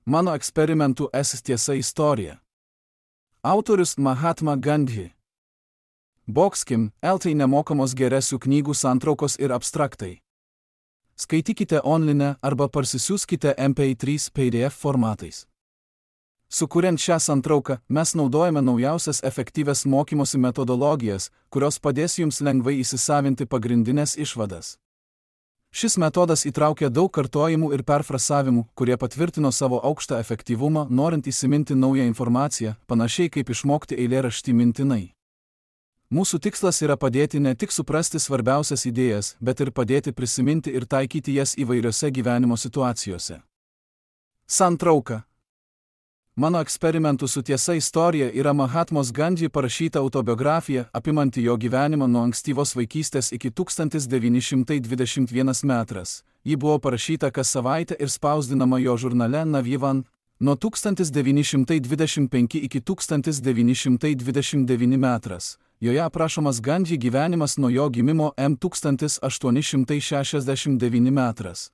Mano eksperimentų tiesa istorija. Autorius Mahatma Gandhi. Boxkim, LT nemokamos geresių knygų santraukos ir abstraktai. Skaitykite online arba parsisiųskite MP3 PDF formatais. Sukuriant šią santrauką, mes naudojame naujausias efektyvias mokymosi metodologijas, kurios padės jums lengvai įsisavinti pagrindinės išvadas. Šis metodas įtraukia daug kartojimų ir perfrasavimų, kurie patvirtino savo aukštą efektyvumą, norint įsiminti naują informaciją, panašiai kaip išmokti eilėraštį mintinai. Mūsų tikslas yra padėti ne tik suprasti svarbiausias idėjas, bet ir padėti prisiminti ir taikyti jas įvairiose gyvenimo situacijose. Santrauka. Mano eksperimentų su tiesa istorija yra Mahatmos Gandhi parašyta autobiografija, apimanti jo gyvenimą nuo ankstyvos vaikystės iki 1921 metras. Ji buvo parašyta kas savaitę ir spausdinama jo žurnale Navjivan nuo 1925 iki 1929 metras. Joje aprašomas Gandhi gyvenimas nuo jo gimimo 1869 metras.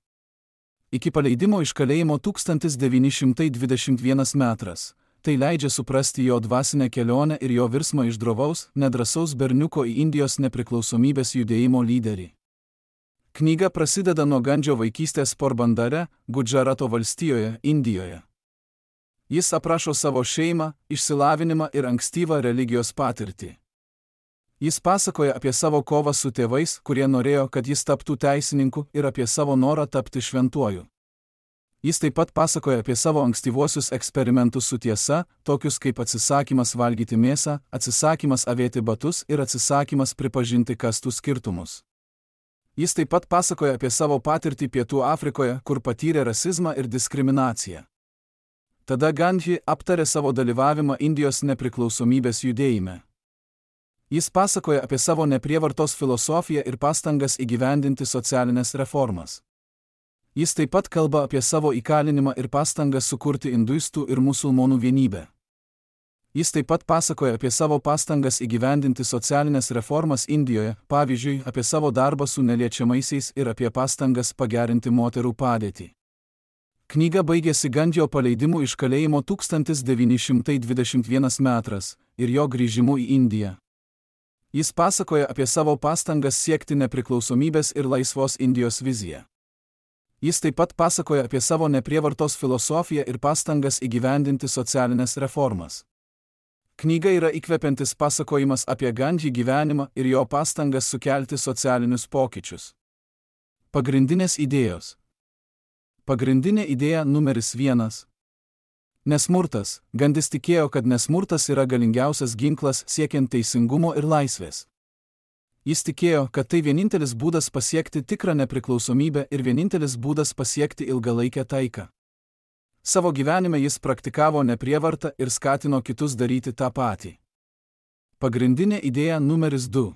Iki paleidimo iš kalėjimo 1921 metras. Tai leidžia suprasti jo dvasinę kelionę ir jo virsmą iš drovaus, nedrasaus berniuko į Indijos nepriklausomybės judėjimo lyderį. Knyga prasideda nuo Gandžio vaikystės Porbandare, Gudžarato valstijoje, Indijoje. Jis aprašo savo šeimą, išsilavinimą ir ankstyvą religijos patirtį. Jis pasakoja apie savo kovą su tėvais, kurie norėjo, kad jis taptų teisininku, ir apie savo norą tapti šventuoju. Jis taip pat pasakoja apie savo ankstyvuosius eksperimentus su tiesa, tokius kaip atsisakymas valgyti mėsą, atsisakymas avėti batus ir atsisakymas pripažinti kastų skirtumus. Jis taip pat pasakoja apie savo patirtį Pietų Afrikoje, kur patyrė rasizmą ir diskriminaciją. Tada Gandhi aptarė savo dalyvavimą Indijos nepriklausomybės judėjime. Jis pasakoja apie savo neprievartos filosofiją ir pastangas įgyvendinti socialinės reformas. Jis taip pat kalba apie savo įkalinimą ir pastangas sukurti induistų ir musulmonų vienybę. Jis taip pat pasakoja apie savo pastangas įgyvendinti socialinės reformas Indijoje, pavyzdžiui, apie savo darbą su neliečiamaisiais ir apie pastangas pagerinti moterų padėtį. Knyga baigėsi Gandhio paleidimu iš kalėjimo 1921 metras ir jo grįžimu į Indiją. Jis pasakoja apie savo pastangas siekti nepriklausomybės ir laisvos Indijos viziją. Jis taip pat pasakoja apie savo neprievartos filosofiją ir pastangas įgyvendinti socialinės reformas. Knyga yra įkvepiantis pasakojimas apie Gandhi gyvenimą ir jo pastangas sukelti socialinius pokyčius. Pagrindinės idėjos. Pagrindinė idėja numeris 1. Nesmurtas. Gandhis tikėjo, kad nesmurtas yra galingiausias ginklas siekiant teisingumo ir laisvės. Jis tikėjo, kad tai vienintelis būdas pasiekti tikrą nepriklausomybę ir vienintelis būdas pasiekti ilgalaikę taiką. Savo gyvenime jis praktikavo neprievartą ir skatino kitus daryti tą patį. Pagrindinė idėja numeris 2.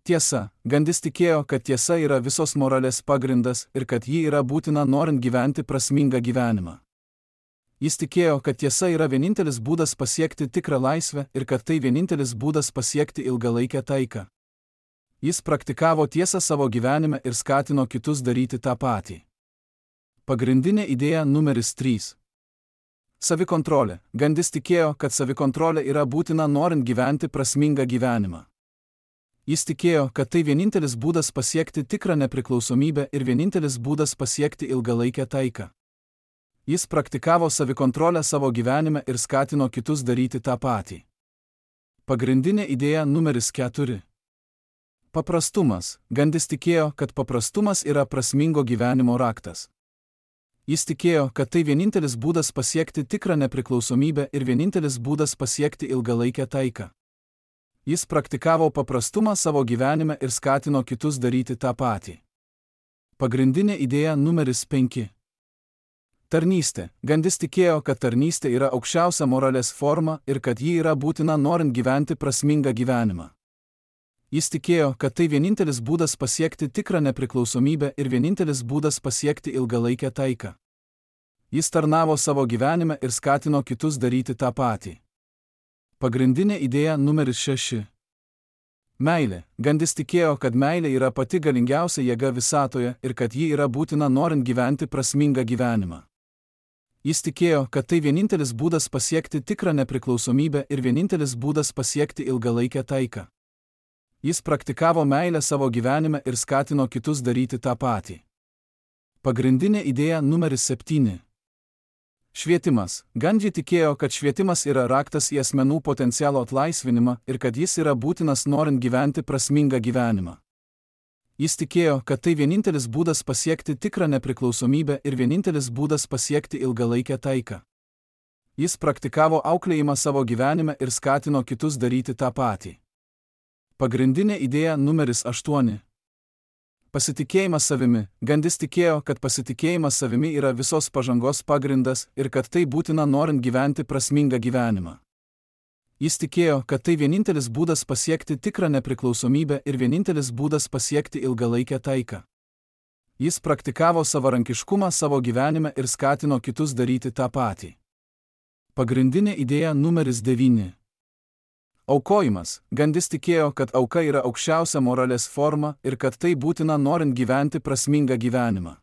Tiesa. Gandhis tikėjo, kad tiesa yra visos moralės pagrindas ir kad ji yra būtina norint gyventi prasmingą gyvenimą. Jis tikėjo, kad tiesa yra vienintelis būdas pasiekti tikrą laisvę ir kad tai vienintelis būdas pasiekti ilgalaikę taiką. Jis praktikavo tiesą savo gyvenime ir skatino kitus daryti tą patį. Pagrindinė idėja numeris 3. Savikontrolė. Gandhis tikėjo, kad savikontrolė yra būtina norint gyventi prasmingą gyvenimą. Jis tikėjo, kad tai vienintelis būdas pasiekti tikrą nepriklausomybę ir vienintelis būdas pasiekti ilgalaikę taiką. Jis praktikavo savikontrolę savo gyvenime ir skatino kitus daryti tą patį. Pagrindinė idėja numeris 4. Paprastumas. Gandhis tikėjo, kad paprastumas yra prasmingo gyvenimo raktas. Jis tikėjo, kad tai vienintelis būdas pasiekti tikrą nepriklausomybę ir vienintelis būdas pasiekti ilgalaikę taiką. Jis praktikavo paprastumą savo gyvenime ir skatino kitus daryti tą patį. Pagrindinė idėja numeris 5. Tarnystė. Gandhis tikėjo, kad tarnystė yra aukščiausia moralės forma ir kad ji yra būtina norint gyventi prasmingą gyvenimą. Jis tikėjo, kad tai vienintelis būdas pasiekti tikrą nepriklausomybę ir vienintelis būdas pasiekti ilgalaikę taiką. Jis tarnavo savo gyvenime ir skatino kitus daryti tą patį. Pagrindinė idėja numeris 6. Meilė. Gandhis tikėjo, kad meilė yra pati galingiausia jėga visatoje ir kad ji yra būtina norint gyventi prasmingą gyvenimą. Jis tikėjo, kad tai vienintelis būdas pasiekti tikrą nepriklausomybę ir vienintelis būdas pasiekti ilgalaikę taiką. Jis praktikavo meilę savo gyvenime ir skatino kitus daryti tą patį. Pagrindinė idėja numeris 7. Švietimas. Gandhi tikėjo, kad švietimas yra raktas į asmenų potencialo atlaisvinimą ir kad jis yra būtinas norint gyventi prasmingą gyvenimą. Jis tikėjo, kad tai vienintelis būdas pasiekti tikrą nepriklausomybę ir vienintelis būdas pasiekti ilgalaikę taiką. Jis praktikavo auklėjimą savo gyvenime ir skatino kitus daryti tą patį. Pagrindinė idėja numeris 8. Pasitikėjimas savimi. Gandis tikėjo, kad pasitikėjimas savimi yra visos pažangos pagrindas ir kad tai būtina norint gyventi prasmingą gyvenimą. Jis tikėjo, kad tai vienintelis būdas pasiekti tikrą nepriklausomybę ir vienintelis būdas pasiekti ilgalaikę taiką. Jis praktikavo savarankiškumą savo gyvenime ir skatino kitus daryti tą patį. Pagrindinė idėja numeris 9. Aukojimas. Gandis tikėjo, kad auka yra aukščiausia moralės forma ir kad tai būtina norint gyventi prasmingą gyvenimą.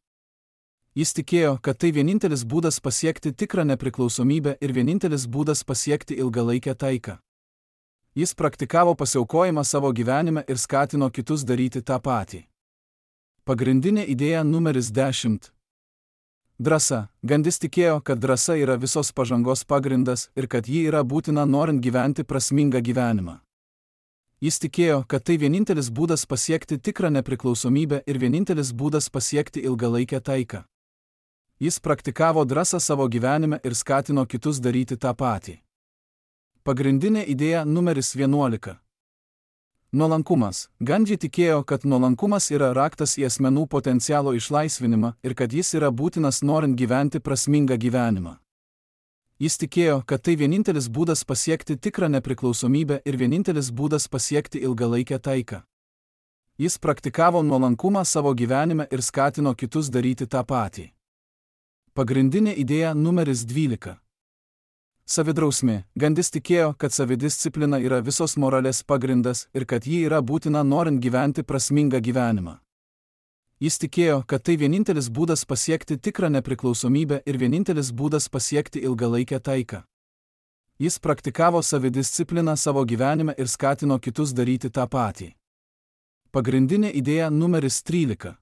Jis tikėjo, kad tai vienintelis būdas pasiekti tikrą nepriklausomybę ir vienintelis būdas pasiekti ilgalaikę taiką. Jis praktikavo pasiaukojimą savo gyvenime ir skatino kitus daryti tą patį. Pagrindinė idėja numeris 10. Drąsa. Gandis tikėjo, kad drąsa yra visos pažangos pagrindas ir kad ji yra būtina norint gyventi prasmingą gyvenimą. Jis tikėjo, kad tai vienintelis būdas pasiekti tikrą nepriklausomybę ir vienintelis būdas pasiekti ilgalaikę taiką. Jis praktikavo drąsą savo gyvenime ir skatino kitus daryti tą patį. Pagrindinė idėja numeris 11. Nuolankumas. Gandhi tikėjo, kad nuolankumas yra raktas į asmenų potencialo išlaisvinimą ir kad jis yra būtinas norint gyventi prasmingą gyvenimą. Jis tikėjo, kad tai vienintelis būdas pasiekti tikrą nepriklausomybę ir vienintelis būdas pasiekti ilgalaikę taiką. Jis praktikavo nuolankumą savo gyvenime ir skatino kitus daryti tą patį. Pagrindinė idėja numeris 12. Savidrausmė. Gandis tikėjo, kad savidisciplina yra visos moralės pagrindas ir kad ji yra būtina norint gyventi prasmingą gyvenimą. Jis tikėjo, kad tai vienintelis būdas pasiekti tikrą nepriklausomybę ir vienintelis būdas pasiekti ilgalaikę taiką. Jis praktikavo savidiscipliną savo gyvenime ir skatino kitus daryti tą patį. Pagrindinė idėja numeris 13.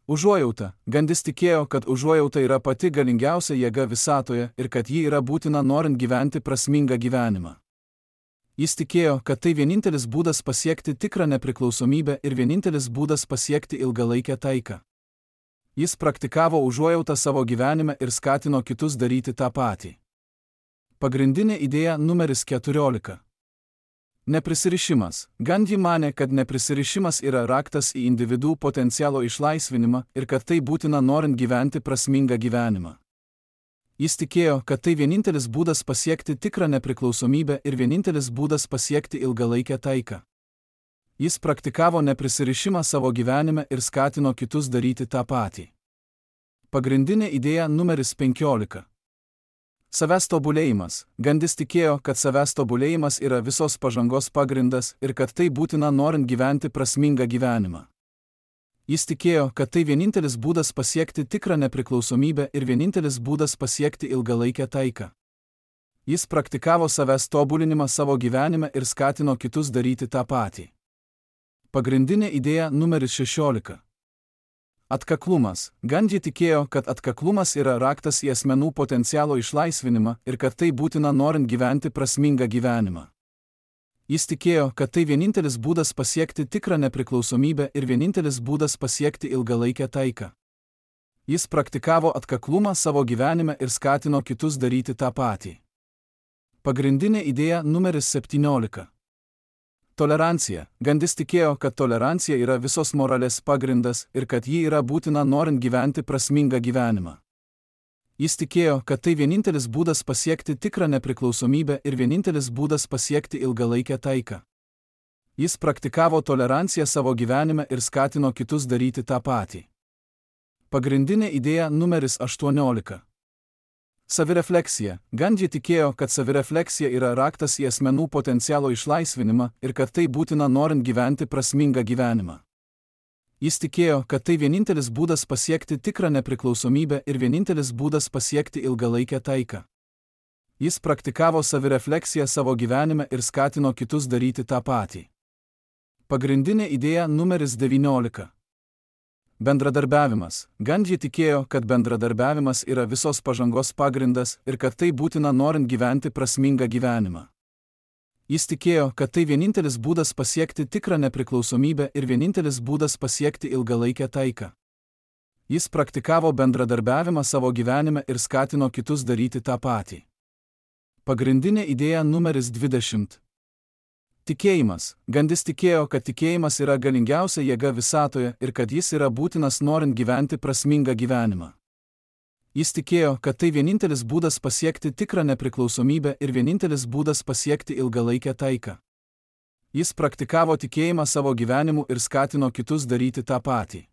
Užuojauta. Gandis tikėjo, kad užuojauta yra pati galingiausia jėga visatoje ir kad ji yra būtina norint gyventi prasmingą gyvenimą. Jis tikėjo, kad tai vienintelis būdas pasiekti tikrą nepriklausomybę ir vienintelis būdas pasiekti ilgalaikę taiką. Jis praktikavo užuojautą savo gyvenime ir skatino kitus daryti tą patį. Pagrindinė idėja numeris 14. Neprisirišimas. Gandhi manė, kad neprisirišimas yra raktas į individų potencialo išlaisvinimą ir kad tai būtina norint gyventi prasmingą gyvenimą. Jis tikėjo, kad tai vienintelis būdas pasiekti tikrą nepriklausomybę ir vienintelis būdas pasiekti ilgalaikę taiką. Jis praktikavo neprisirišimą savo gyvenime ir skatino kitus daryti tą patį. Pagrindinė idėja numeris 15. Savęs tobulėjimas. Gandis tikėjo, kad savęs tobulėjimas yra visos pažangos pagrindas ir kad tai būtina norint gyventi prasmingą gyvenimą. Jis tikėjo, kad tai vienintelis būdas pasiekti tikrą nepriklausomybę ir vienintelis būdas pasiekti ilgalaikę taiką. Jis praktikavo savęs tobulinimą savo gyvenime ir skatino kitus daryti tą patį. Pagrindinė idėja numeris 16. Atkaklumas. Gandhi tikėjo, kad atkaklumas yra raktas į asmenų potencialo išlaisvinimą ir kad tai būtina norint gyventi prasmingą gyvenimą. Jis tikėjo, kad tai vienintelis būdas pasiekti tikrą nepriklausomybę ir vienintelis būdas pasiekti ilgalaikę taiką. Jis praktikavo atkaklumą savo gyvenime ir skatino kitus daryti tą patį. Pagrindinė idėja numeris 17. Tolerancija. Gandis tikėjo, kad tolerancija yra visos moralės pagrindas ir kad ji yra būtina norint gyventi prasmingą gyvenimą. Jis tikėjo, kad tai vienintelis būdas pasiekti tikrą nepriklausomybę ir vienintelis būdas pasiekti ilgalaikę taiką. Jis praktikavo toleranciją savo gyvenime ir skatino kitus daryti tą patį. Pagrindinė idėja numeris 18. Savirefleksija. Gandhi tikėjo, kad savirefleksija yra raktas į asmenų potencialo išlaisvinimą ir kad tai būtina norint gyventi prasmingą gyvenimą. Jis tikėjo, kad tai vienintelis būdas pasiekti tikrą nepriklausomybę ir vienintelis būdas pasiekti ilgalaikę taiką. Jis praktikavo savirefleksiją savo gyvenime ir skatino kitus daryti tą patį. Pagrindinė idėja numeris 19. Bendradarbiavimas. Gandhi tikėjo, kad bendradarbiavimas yra visos pažangos pagrindas ir kad tai būtina norint gyventi prasmingą gyvenimą. Jis tikėjo, kad tai vienintelis būdas pasiekti tikrą nepriklausomybę ir vienintelis būdas pasiekti ilgalaikę taiką. Jis praktikavo bendradarbiavimą savo gyvenime ir skatino kitus daryti tą patį. Pagrindinė idėja numeris 20. Tikėjimas. Gandis tikėjo, kad tikėjimas yra galingiausia jėga visatoje ir kad jis yra būtinas norint gyventi prasmingą gyvenimą. Jis tikėjo, kad tai vienintelis būdas pasiekti tikrą nepriklausomybę ir vienintelis būdas pasiekti ilgalaikę taiką. Jis praktikavo tikėjimą savo gyvenimu ir skatino kitus daryti tą patį.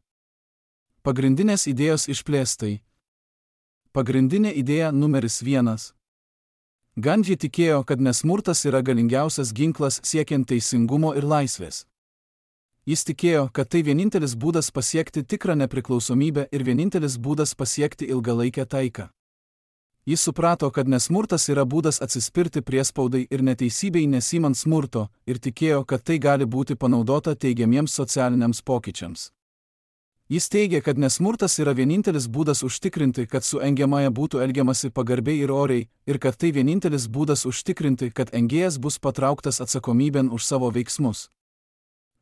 Pagrindinės idėjos išplėstai. Pagrindinė idėja numeris 1. Gandhi tikėjo, kad nesmurtas yra galingiausias ginklas siekiant teisingumo ir laisvės. Jis tikėjo, kad tai vienintelis būdas pasiekti tikrą nepriklausomybę ir vienintelis būdas pasiekti ilgalaikę taiką. Jis suprato, kad nesmurtas yra būdas atsispirti priespaudai ir neteisybei nesimant smurto ir tikėjo, kad tai gali būti panaudota teigiamiems socialiniams pokyčiams. Jis teigė, kad nesmurtas yra vienintelis būdas užtikrinti, kad su engiamąja būtų elgiamasi pagarbiai ir oriai ir kad tai vienintelis būdas užtikrinti, kad engėjas bus patrauktas atsakomybėn už savo veiksmus.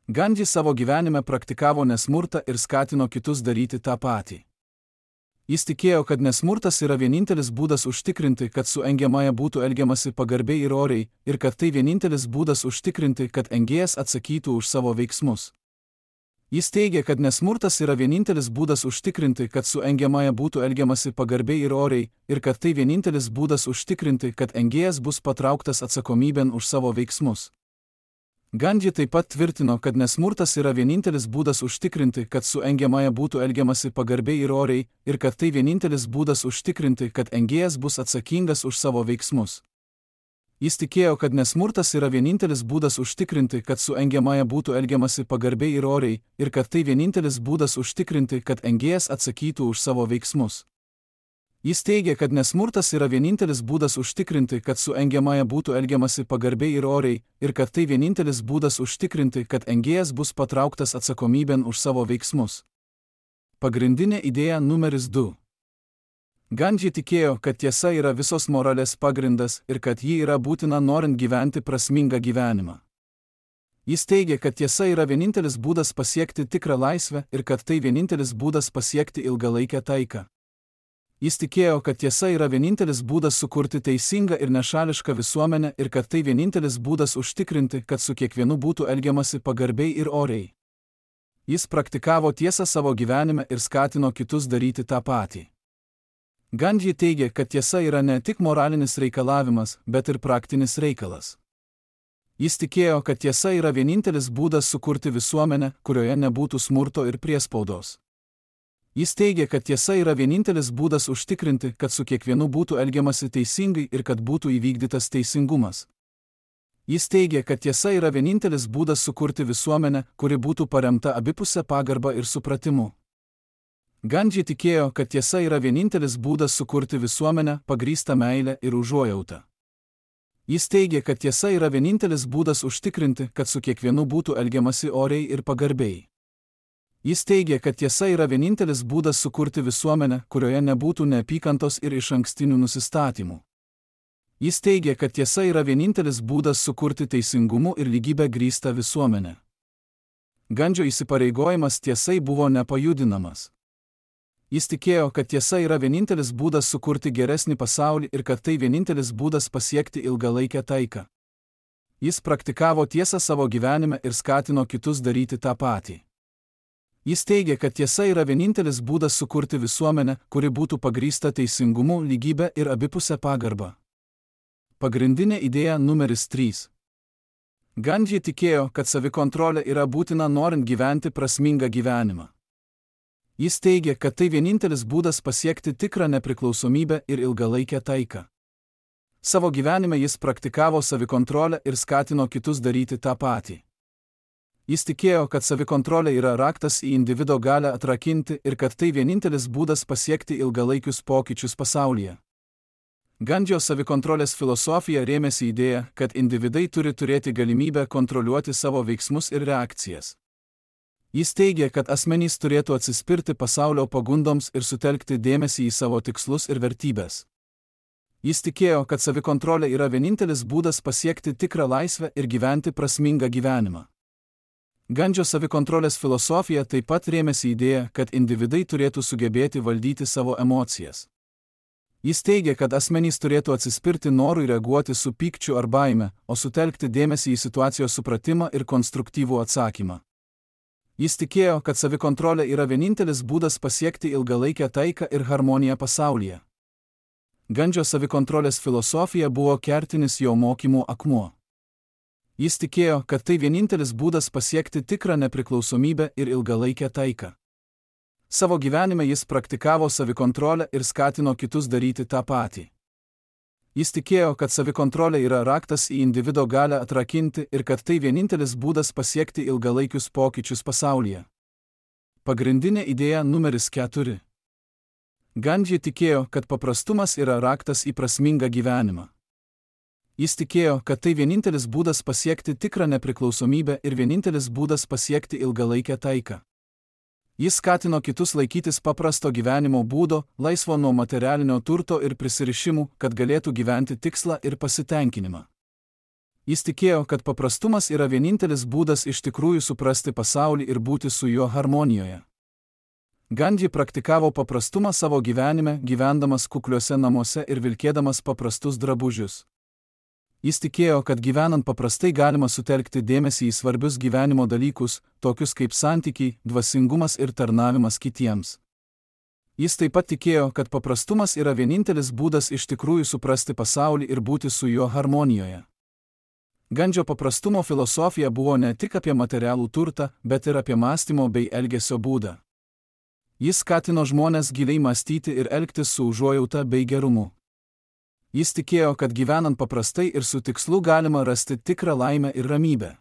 Gandhi savo gyvenime praktikavo nesmurtą ir skatino kitus daryti tą patį. Jis tikėjo, kad nesmurtas yra vienintelis būdas užtikrinti, kad su engiamąja būtų elgiamasi pagarbiai ir oriai ir kad tai vienintelis būdas užtikrinti, kad engėjas atsakytų už savo veiksmus. Jis teigė, kad nesmurtas yra vienintelis būdas užtikrinti, kad su engiamąja būtų elgiamasi pagarbiai ir oriai ir kad tai vienintelis būdas užtikrinti, kad engėjas bus patrauktas atsakomybėn už savo veiksmus. Gandhi taip pat tvirtino, kad nesmurtas yra vienintelis būdas užtikrinti, kad su engiamąja būtų elgiamasi pagarbiai ir oriai ir kad tai vienintelis būdas užtikrinti, kad engėjas bus atsakingas už savo veiksmus. Jis tikėjo, kad nesmurtas yra vienintelis būdas užtikrinti, kad su engiamąja būtų elgiamasi pagarbiai ir oriai ir kad tai vienintelis būdas užtikrinti, kad engėjas atsakytų už savo veiksmus. Jis teigė, kad nesmurtas yra vienintelis būdas užtikrinti, kad su engiamąja būtų elgiamasi pagarbiai ir oriai ir kad tai vienintelis būdas užtikrinti, kad engėjas bus patrauktas atsakomybėn už savo veiksmus. Pagrindinė idėja numeris 2. Gandhi tikėjo, kad tiesa yra visos moralės pagrindas ir kad ji yra būtina norint gyventi prasmingą gyvenimą. Jis teigė, kad tiesa yra vienintelis būdas pasiekti tikrą laisvę ir kad tai vienintelis būdas pasiekti ilgalaikę taiką. Jis tikėjo, kad tiesa yra vienintelis būdas sukurti teisingą ir nešališką visuomenę ir kad tai vienintelis būdas užtikrinti, kad su kiekvienu būtų elgiamasi pagarbiai ir oriai. Jis praktikavo tiesą savo gyvenime ir skatino kitus daryti tą patį. Gandhi teigė, kad tiesa yra ne tik moralinis reikalavimas, bet ir praktinis reikalas. Jis tikėjo, kad tiesa yra vienintelis būdas sukurti visuomenę, kurioje nebūtų smurto ir priespaudos. Jis teigė, kad tiesa yra vienintelis būdas užtikrinti, kad su kiekvienu būtų elgiamasi teisingai ir kad būtų įvykdytas teisingumas. Jis teigė, kad tiesa yra vienintelis būdas sukurti visuomenę, kuri būtų paremta abipusę pagarbą ir supratimu. Gandhi tikėjo, kad tiesa yra vienintelis būdas sukurti visuomenę, pagrįstą meilę ir užuojautą. Jis teigė, kad tiesa yra vienintelis būdas užtikrinti, kad su kiekvienu būtų elgiamasi oriai ir pagarbiai. Jis teigė, kad tiesa yra vienintelis būdas sukurti visuomenę, kurioje nebūtų neapykantos ir išankstinių nusistatymų. Jis teigė, kad tiesa yra vienintelis būdas sukurti teisingumu ir lygybę grįstą visuomenę. Gandžio įsipareigojimas tiesai buvo nepajudinamas. Jis tikėjo, kad tiesa yra vienintelis būdas sukurti geresnį pasaulį ir kad tai vienintelis būdas pasiekti ilgalaikę taiką. Jis praktikavo tiesą savo gyvenime ir skatino kitus daryti tą patį. Jis teigė, kad tiesa yra vienintelis būdas sukurti visuomenę, kuri būtų pagrįsta teisingumu, lygybė ir abipusę pagarbą. Pagrindinė idėja numeris 3. Gandhi tikėjo, kad savikontrolė yra būtina norint gyventi prasmingą gyvenimą. Jis teigė, kad tai vienintelis būdas pasiekti tikrą nepriklausomybę ir ilgalaikę taiką. Savo gyvenime jis praktikavo savikontrolę ir skatino kitus daryti tą patį. Jis tikėjo, kad savikontrolė yra raktas į individo galią atrakinti ir kad tai vienintelis būdas pasiekti ilgalaikius pokyčius pasaulyje. Gandžio savikontrolės filosofija rėmėsi idėja, kad individai turi turėti galimybę kontroliuoti savo veiksmus ir reakcijas. Jis teigė, kad asmenys turėtų atsispirti pasaulio pagundoms ir sutelkti dėmesį į savo tikslus ir vertybės. Jis tikėjo, kad savikontrolė yra vienintelis būdas pasiekti tikrą laisvę ir gyventi prasmingą gyvenimą. Gandžio savikontrolės filosofija taip pat rėmėsi idėja, kad individai turėtų sugebėti valdyti savo emocijas. Jis teigė, kad asmenys turėtų atsispirti norui reaguoti su pykčiu ar baime, o sutelkti dėmesį į situacijos supratimą ir konstruktyvų atsakymą. Jis tikėjo, kad savikontrolė yra vienintelis būdas pasiekti ilgalaikę taiką ir harmoniją pasaulyje. Gandžio savikontrolės filosofija buvo kertinis jo mokymų akmuo. Jis tikėjo, kad tai vienintelis būdas pasiekti tikrą nepriklausomybę ir ilgalaikę taiką. Savo gyvenime jis praktikavo savikontrolę ir skatino kitus daryti tą patį. Jis tikėjo, kad savikontrolė yra raktas į individo galią atrakinti ir kad tai vienintelis būdas pasiekti ilgalaikius pokyčius pasaulyje. Pagrindinė idėja numeris 4. Gandži tikėjo, kad paprastumas yra raktas į prasmingą gyvenimą. Jis tikėjo, kad tai vienintelis būdas pasiekti tikrą nepriklausomybę ir vienintelis būdas pasiekti ilgalaikę taiką. Jis skatino kitus laikytis paprasto gyvenimo būdo, laisvo nuo materialinio turto ir prisirišimų, kad galėtų gyventi tikslą ir pasitenkinimą. Jis tikėjo, kad paprastumas yra vienintelis būdas iš tikrųjų suprasti pasaulį ir būti su juo harmonijoje. Gandhi praktikavo paprastumą savo gyvenime, gyvendamas kukliuose namuose ir vilkėdamas paprastus drabužius. Jis tikėjo, kad gyvenant paprastai galima sutelkti dėmesį į svarbius gyvenimo dalykus, tokius kaip santykiai, dvasingumas ir tarnavimas kitiems. Jis taip pat tikėjo, kad paprastumas yra vienintelis būdas iš tikrųjų suprasti pasaulį ir būti su juo harmonijoje. Gandžio paprastumo filosofija buvo ne tik apie materialų turtą, bet ir apie mąstymo bei elgesio būdą. Jis skatino žmones giliai mąstyti ir elgtis su užuojauta bei gerumu. Jis tikėjo, kad gyvenant paprastai ir su tikslu galima rasti tikrą laimę ir ramybę.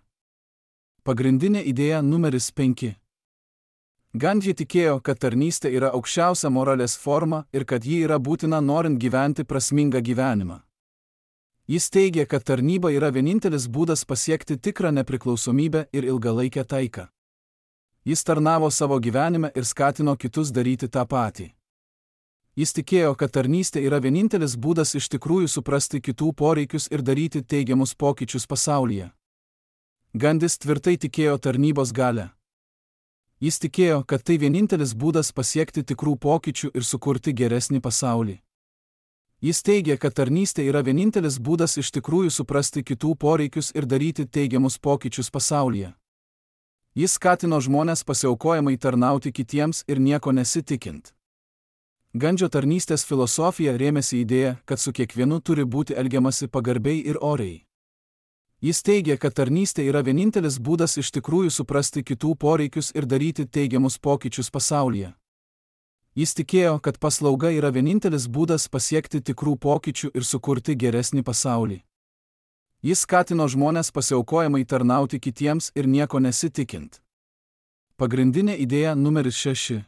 Pagrindinė idėja numeris 5. Gandhi tikėjo, kad tarnystė yra aukščiausia moralės forma ir kad ji yra būtina norint gyventi prasmingą gyvenimą. Jis teigė, kad tarnyba yra vienintelis būdas pasiekti tikrą nepriklausomybę ir ilgalaikę taiką. Jis tarnavo savo gyvenime ir skatino kitus daryti tą patį. Jis tikėjo, kad tarnystė yra vienintelis būdas iš tikrųjų suprasti kitų poreikius ir daryti teigiamus pokyčius pasaulyje. Gandhis tvirtai tikėjo tarnybos galią. Jis tikėjo, kad tai vienintelis būdas pasiekti tikrų pokyčių ir sukurti geresnį pasaulį. Jis teigė, kad tarnystė yra vienintelis būdas iš tikrųjų suprasti kitų poreikius ir daryti teigiamus pokyčius pasaulyje. Jis skatino žmones pasiaukojamai tarnauti kitiems ir nieko nesitikint. Gandžio tarnystės filosofija rėmėsi idėja, kad su kiekvienu turi būti elgiamasi pagarbiai ir oriai. Jis teigė, kad tarnystė yra vienintelis būdas iš tikrųjų suprasti kitų poreikius ir daryti teigiamus pokyčius pasaulyje. Jis tikėjo, kad paslauga yra vienintelis būdas pasiekti tikrų pokyčių ir sukurti geresnį pasaulį. Jis skatino žmones pasiaukojamai tarnauti kitiems ir nieko nesitikint. Pagrindinė idėja numeris 6.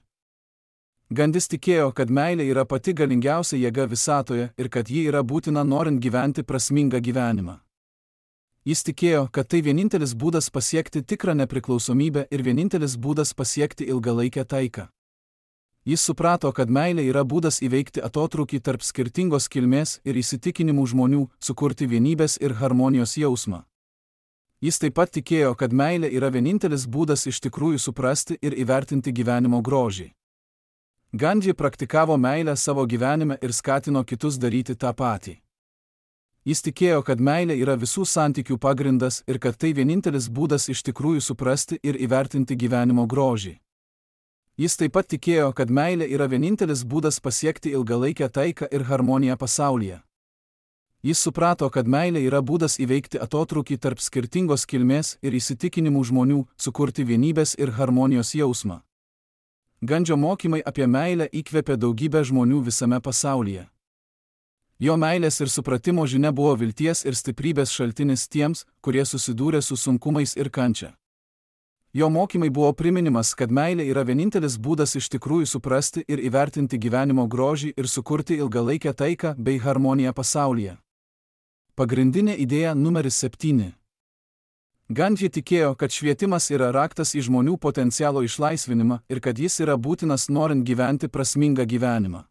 Gandhis tikėjo, kad meilė yra pati galingiausia jėga visatoje ir kad ji yra būtina norint gyventi prasmingą gyvenimą. Jis tikėjo, kad tai vienintelis būdas pasiekti tikrą nepriklausomybę ir vienintelis būdas pasiekti ilgalaikę taiką. Jis suprato, kad meilė yra būdas įveikti atotrūkį tarp skirtingos kilmės ir įsitikinimų žmonių, sukurti vienybės ir harmonijos jausmą. Jis taip pat tikėjo, kad meilė yra vienintelis būdas iš tikrųjų suprasti ir įvertinti gyvenimo grožį. Gandhi praktikavo meilę savo gyvenime ir skatino kitus daryti tą patį. Jis tikėjo, kad meilė yra visų santykių pagrindas ir kad tai vienintelis būdas iš tikrųjų suprasti ir įvertinti gyvenimo grožį. Jis taip pat tikėjo, kad meilė yra vienintelis būdas pasiekti ilgalaikę taiką ir harmoniją pasaulyje. Jis suprato, kad meilė yra būdas įveikti atotrūkį tarp skirtingos kilmės ir įsitikinimų žmonių, sukurti vienybės ir harmonijos jausmą. Gandžio mokymai apie meilę įkvėpė daugybę žmonių visame pasaulyje. Jo meilės ir supratimo žinia buvo vilties ir stiprybės šaltinis tiems, kurie susidūrė su sunkumais ir kančia. Jo mokymai buvo priminimas, kad meilė yra vienintelis būdas iš tikrųjų suprasti ir įvertinti gyvenimo grožį ir sukurti ilgalaikę taiką bei harmoniją pasaulyje. Pagrindinė idėja numeris 7. Gandhi tikėjo, kad švietimas yra raktas į žmonių potencialo išlaisvinimą ir kad jis yra būtinas norint gyventi prasmingą gyvenimą.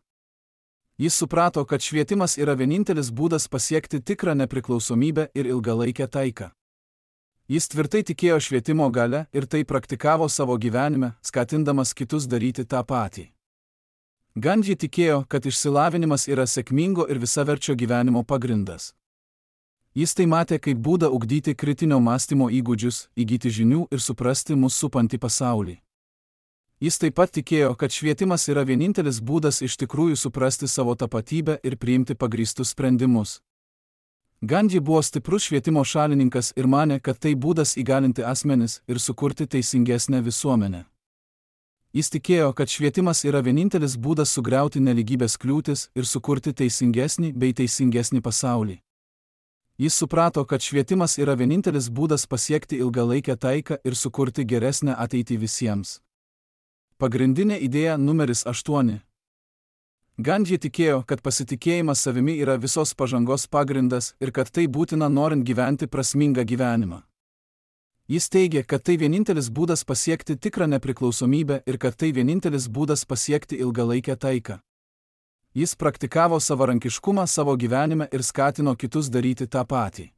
Jis suprato, kad švietimas yra vienintelis būdas pasiekti tikrą nepriklausomybę ir ilgalaikę taiką. Jis tvirtai tikėjo švietimo gale ir tai praktikavo savo gyvenime, skatindamas kitus daryti tą patį. Gandhi tikėjo, kad išsilavinimas yra sėkmingo ir visaverčio gyvenimo pagrindas. Jis tai matė kaip būdą ugdyti kritinio mąstymo įgūdžius, įgyti žinių ir suprasti mus supantį pasaulį. Jis taip pat tikėjo, kad švietimas yra vienintelis būdas iš tikrųjų suprasti savo tapatybę ir priimti pagrįstus sprendimus. Gandhi buvo stiprus švietimo šalininkas ir manė, kad tai būdas įgalinti asmenis ir sukurti teisingesnę visuomenę. Jis tikėjo, kad švietimas yra vienintelis būdas sugriauti nelygybės kliūtis ir sukurti teisingesnį bei teisingesnį pasaulį. Jis suprato, kad švietimas yra vienintelis būdas pasiekti ilgalaikę taiką ir sukurti geresnę ateitį visiems. Pagrindinė idėja numeris 8. Gandhi tikėjo, kad pasitikėjimas savimi yra visos pažangos pagrindas ir kad tai būtina norint gyventi prasmingą gyvenimą. Jis teigė, kad tai vienintelis būdas pasiekti tikrą nepriklausomybę ir kad tai vienintelis būdas pasiekti ilgalaikę taiką. Jis praktikavo savarankiškumą savo gyvenime ir skatino kitus daryti tą patį.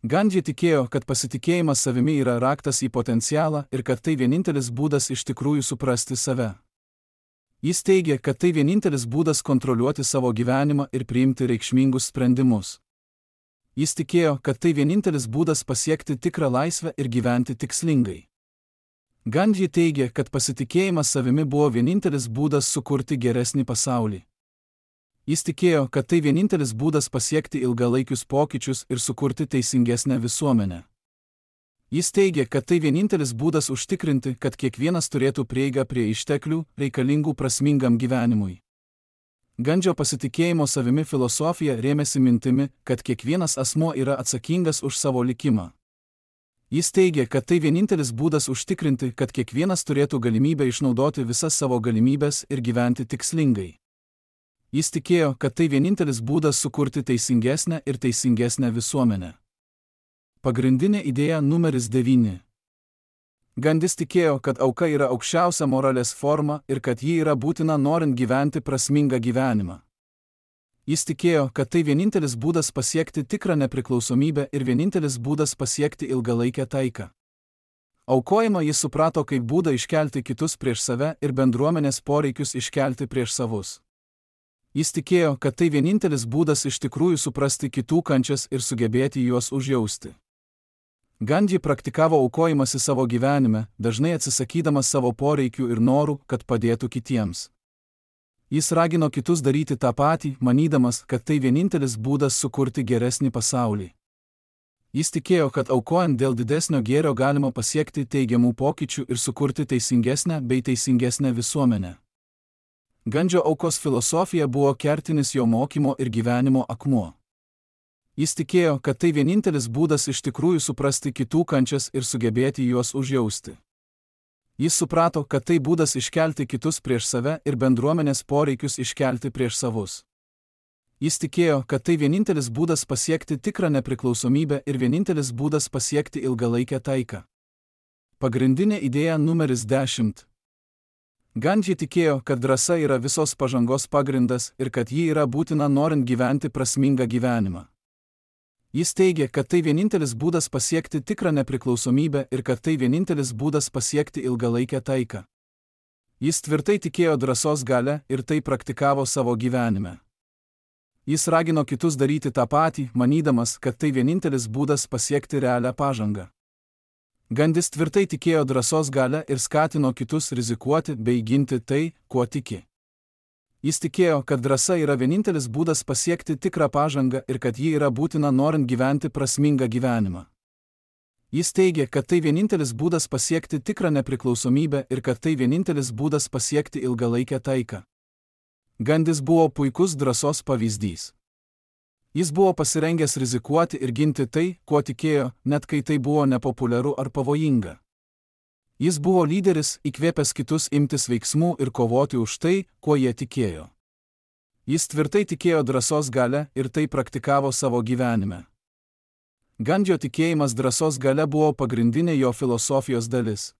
Gandhi tikėjo, kad pasitikėjimas savimi yra raktas į potencialą ir kad tai vienintelis būdas iš tikrųjų suprasti save. Jis teigė, kad tai vienintelis būdas kontroliuoti savo gyvenimą ir priimti reikšmingus sprendimus. Jis tikėjo, kad tai vienintelis būdas pasiekti tikrą laisvę ir gyventi tikslingai. Gandhi teigė, kad pasitikėjimas savimi buvo vienintelis būdas sukurti geresnį pasaulį. Jis tikėjo, kad tai vienintelis būdas pasiekti ilgalaikius pokyčius ir sukurti teisingesnę visuomenę. Jis teigė, kad tai vienintelis būdas užtikrinti, kad kiekvienas turėtų prieigą prie išteklių, reikalingų prasmingam gyvenimui. Gandžio pasitikėjimo savimi filosofija rėmėsi mintimi, kad kiekvienas asmuo yra atsakingas už savo likimą. Jis teigė, kad tai vienintelis būdas užtikrinti, kad kiekvienas turėtų galimybę išnaudoti visas savo galimybės ir gyventi tikslingai. Jis tikėjo, kad tai vienintelis būdas sukurti teisingesnę ir teisingesnę visuomenę. Pagrindinė idėja numeris 9. Gandhis tikėjo, kad auka yra aukščiausia moralės forma ir kad ji yra būtina norint gyventi prasmingą gyvenimą. Jis tikėjo, kad tai vienintelis būdas pasiekti tikrą nepriklausomybę ir vienintelis būdas pasiekti ilgalaikę taiką. Aukojimą jis suprato kaip būdą iškelti kitus prieš save ir bendruomenės poreikius iškelti prieš savus. Jis tikėjo, kad tai vienintelis būdas iš tikrųjų suprasti kitų kančias ir sugebėti juos užjausti. Gandhi praktikavo aukojimąsi savo gyvenime, dažnai atsisakydamas savo poreikių ir norų, kad padėtų kitiems. Jis ragino kitus daryti tą patį, manydamas, kad tai vienintelis būdas sukurti geresnį pasaulį. Jis tikėjo, kad aukojant dėl didesnio gėrio galima pasiekti teigiamų pokyčių ir sukurti teisingesnę bei teisingesnę visuomenę. Gandžio aukos filosofija buvo kertinis jo mokymo ir gyvenimo akmuo. Jis tikėjo, kad tai vienintelis būdas iš tikrųjų suprasti kitų kančias ir sugebėti juos užjausti. Jis suprato, kad tai būdas iškelti kitus prieš save ir bendruomenės poreikius iškelti prieš savus. Jis tikėjo, kad tai vienintelis būdas pasiekti tikrą nepriklausomybę ir vienintelis būdas pasiekti ilgalaikę taiką. Pagrindinė idėja numeris 10. Gandhi tikėjo, kad drąsa yra visos pažangos pagrindas ir kad ji yra būtina norint gyventi prasmingą gyvenimą. Jis teigė, kad tai vienintelis būdas pasiekti tikrą nepriklausomybę ir kad tai vienintelis būdas pasiekti ilgalaikę taiką. Jis tvirtai tikėjo drąsos gale ir tai praktikavo savo gyvenime. Jis ragino kitus daryti tą patį, manydamas, kad tai vienintelis būdas pasiekti realią pažangą. Gandhis tvirtai tikėjo drąsos gale ir skatino kitus rizikuoti bei ginti tai, kuo tiki. Jis tikėjo, kad drąsa yra vienintelis būdas pasiekti tikrą pažangą ir kad ji yra būtina norint gyventi prasmingą gyvenimą. Jis teigė, kad tai vienintelis būdas pasiekti tikrą nepriklausomybę ir kad tai vienintelis būdas pasiekti ilgalaikę taiką. Gandhis buvo puikus drąsos pavyzdys. Jis buvo pasirengęs rizikuoti ir ginti tai, kuo tikėjo, net kai tai buvo nepopuliaru ar pavojinga. Jis buvo lyderis, įkvėpęs kitus imtis veiksmų ir kovoti už tai, kuo jie tikėjo. Jis tvirtai tikėjo drąsos galia ir tai praktikavo savo gyvenime. Gandžio tikėjimas drąsos galia buvo pagrindinė jo filosofijos dalis.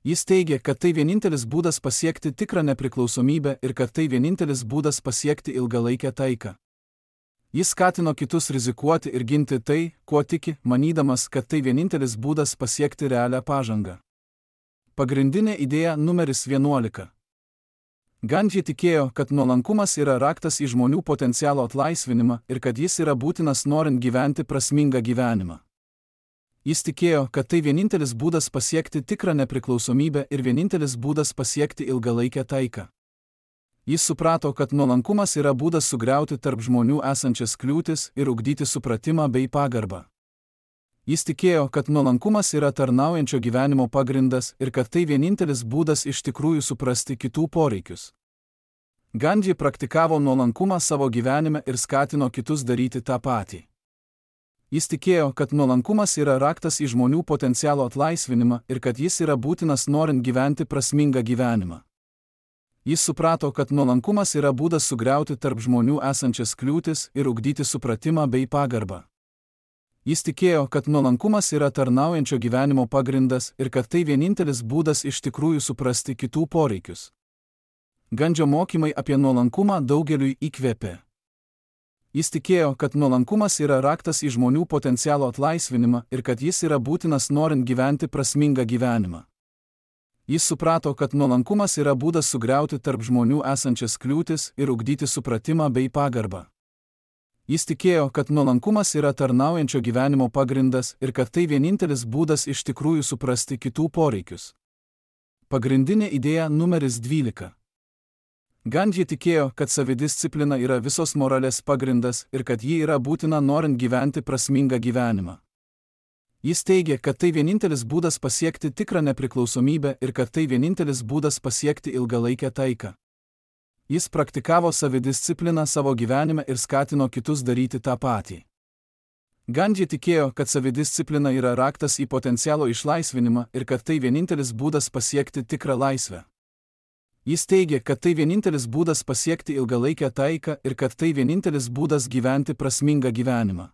Jis teigė, kad tai vienintelis būdas pasiekti tikrą nepriklausomybę ir kad tai vienintelis būdas pasiekti ilgalaikę taiką. Jis skatino kitus rizikuoti ir ginti tai, kuo tiki, manydamas, kad tai vienintelis būdas pasiekti realią pažangą. Pagrindinė idėja numeris 11. Gandži tikėjo, kad nuolankumas yra raktas į žmonių potencialo atlaisvinimą ir kad jis yra būtinas norint gyventi prasmingą gyvenimą. Jis tikėjo, kad tai vienintelis būdas pasiekti tikrą nepriklausomybę ir vienintelis būdas pasiekti ilgalaikę taiką. Jis suprato, kad nuolankumas yra būdas sugriauti tarp žmonių esančias kliūtis ir ugdyti supratimą bei pagarbą. Jis tikėjo, kad nuolankumas yra tarnaujančio gyvenimo pagrindas ir kad tai vienintelis būdas iš tikrųjų suprasti kitų poreikius. Gandži praktikavo nuolankumą savo gyvenime ir skatino kitus daryti tą patį. Jis tikėjo, kad nuolankumas yra raktas į žmonių potencialo atlaisvinimą ir kad jis yra būtinas norint gyventi prasmingą gyvenimą. Jis suprato, kad nuolankumas yra būdas sugriauti tarp žmonių esančias kliūtis ir ugdyti supratimą bei pagarbą. Jis tikėjo, kad nuolankumas yra tarnaujančio gyvenimo pagrindas ir kad tai vienintelis būdas iš tikrųjų suprasti kitų poreikius. Gandžio mokymai apie nuolankumą daugeliui įkvėpė. Jis tikėjo, kad nuolankumas yra raktas į žmonių potencialo atlaisvinimą ir kad jis yra būtinas norint gyventi prasmingą gyvenimą. Jis suprato, kad nuolankumas yra būdas sugriauti tarp žmonių esančias kliūtis ir ugdyti supratimą bei pagarbą. Jis tikėjo, kad nuolankumas yra tarnaujančio gyvenimo pagrindas ir kad tai vienintelis būdas iš tikrųjų suprasti kitų poreikius. Pagrindinė idėja numeris 12. Gandži tikėjo, kad savidisciplina yra visos moralės pagrindas ir kad ji yra būtina norint gyventi prasmingą gyvenimą. Jis teigė, kad tai vienintelis būdas pasiekti tikrą nepriklausomybę ir kad tai vienintelis būdas pasiekti ilgalaikę taiką. Jis praktikavo savidiscipliną savo gyvenime ir skatino kitus daryti tą patį. Gandži tikėjo, kad savidisciplina yra raktas į potencialo išlaisvinimą ir kad tai vienintelis būdas pasiekti tikrą laisvę. Jis teigė, kad tai vienintelis būdas pasiekti ilgalaikę taiką ir kad tai vienintelis būdas gyventi prasmingą gyvenimą.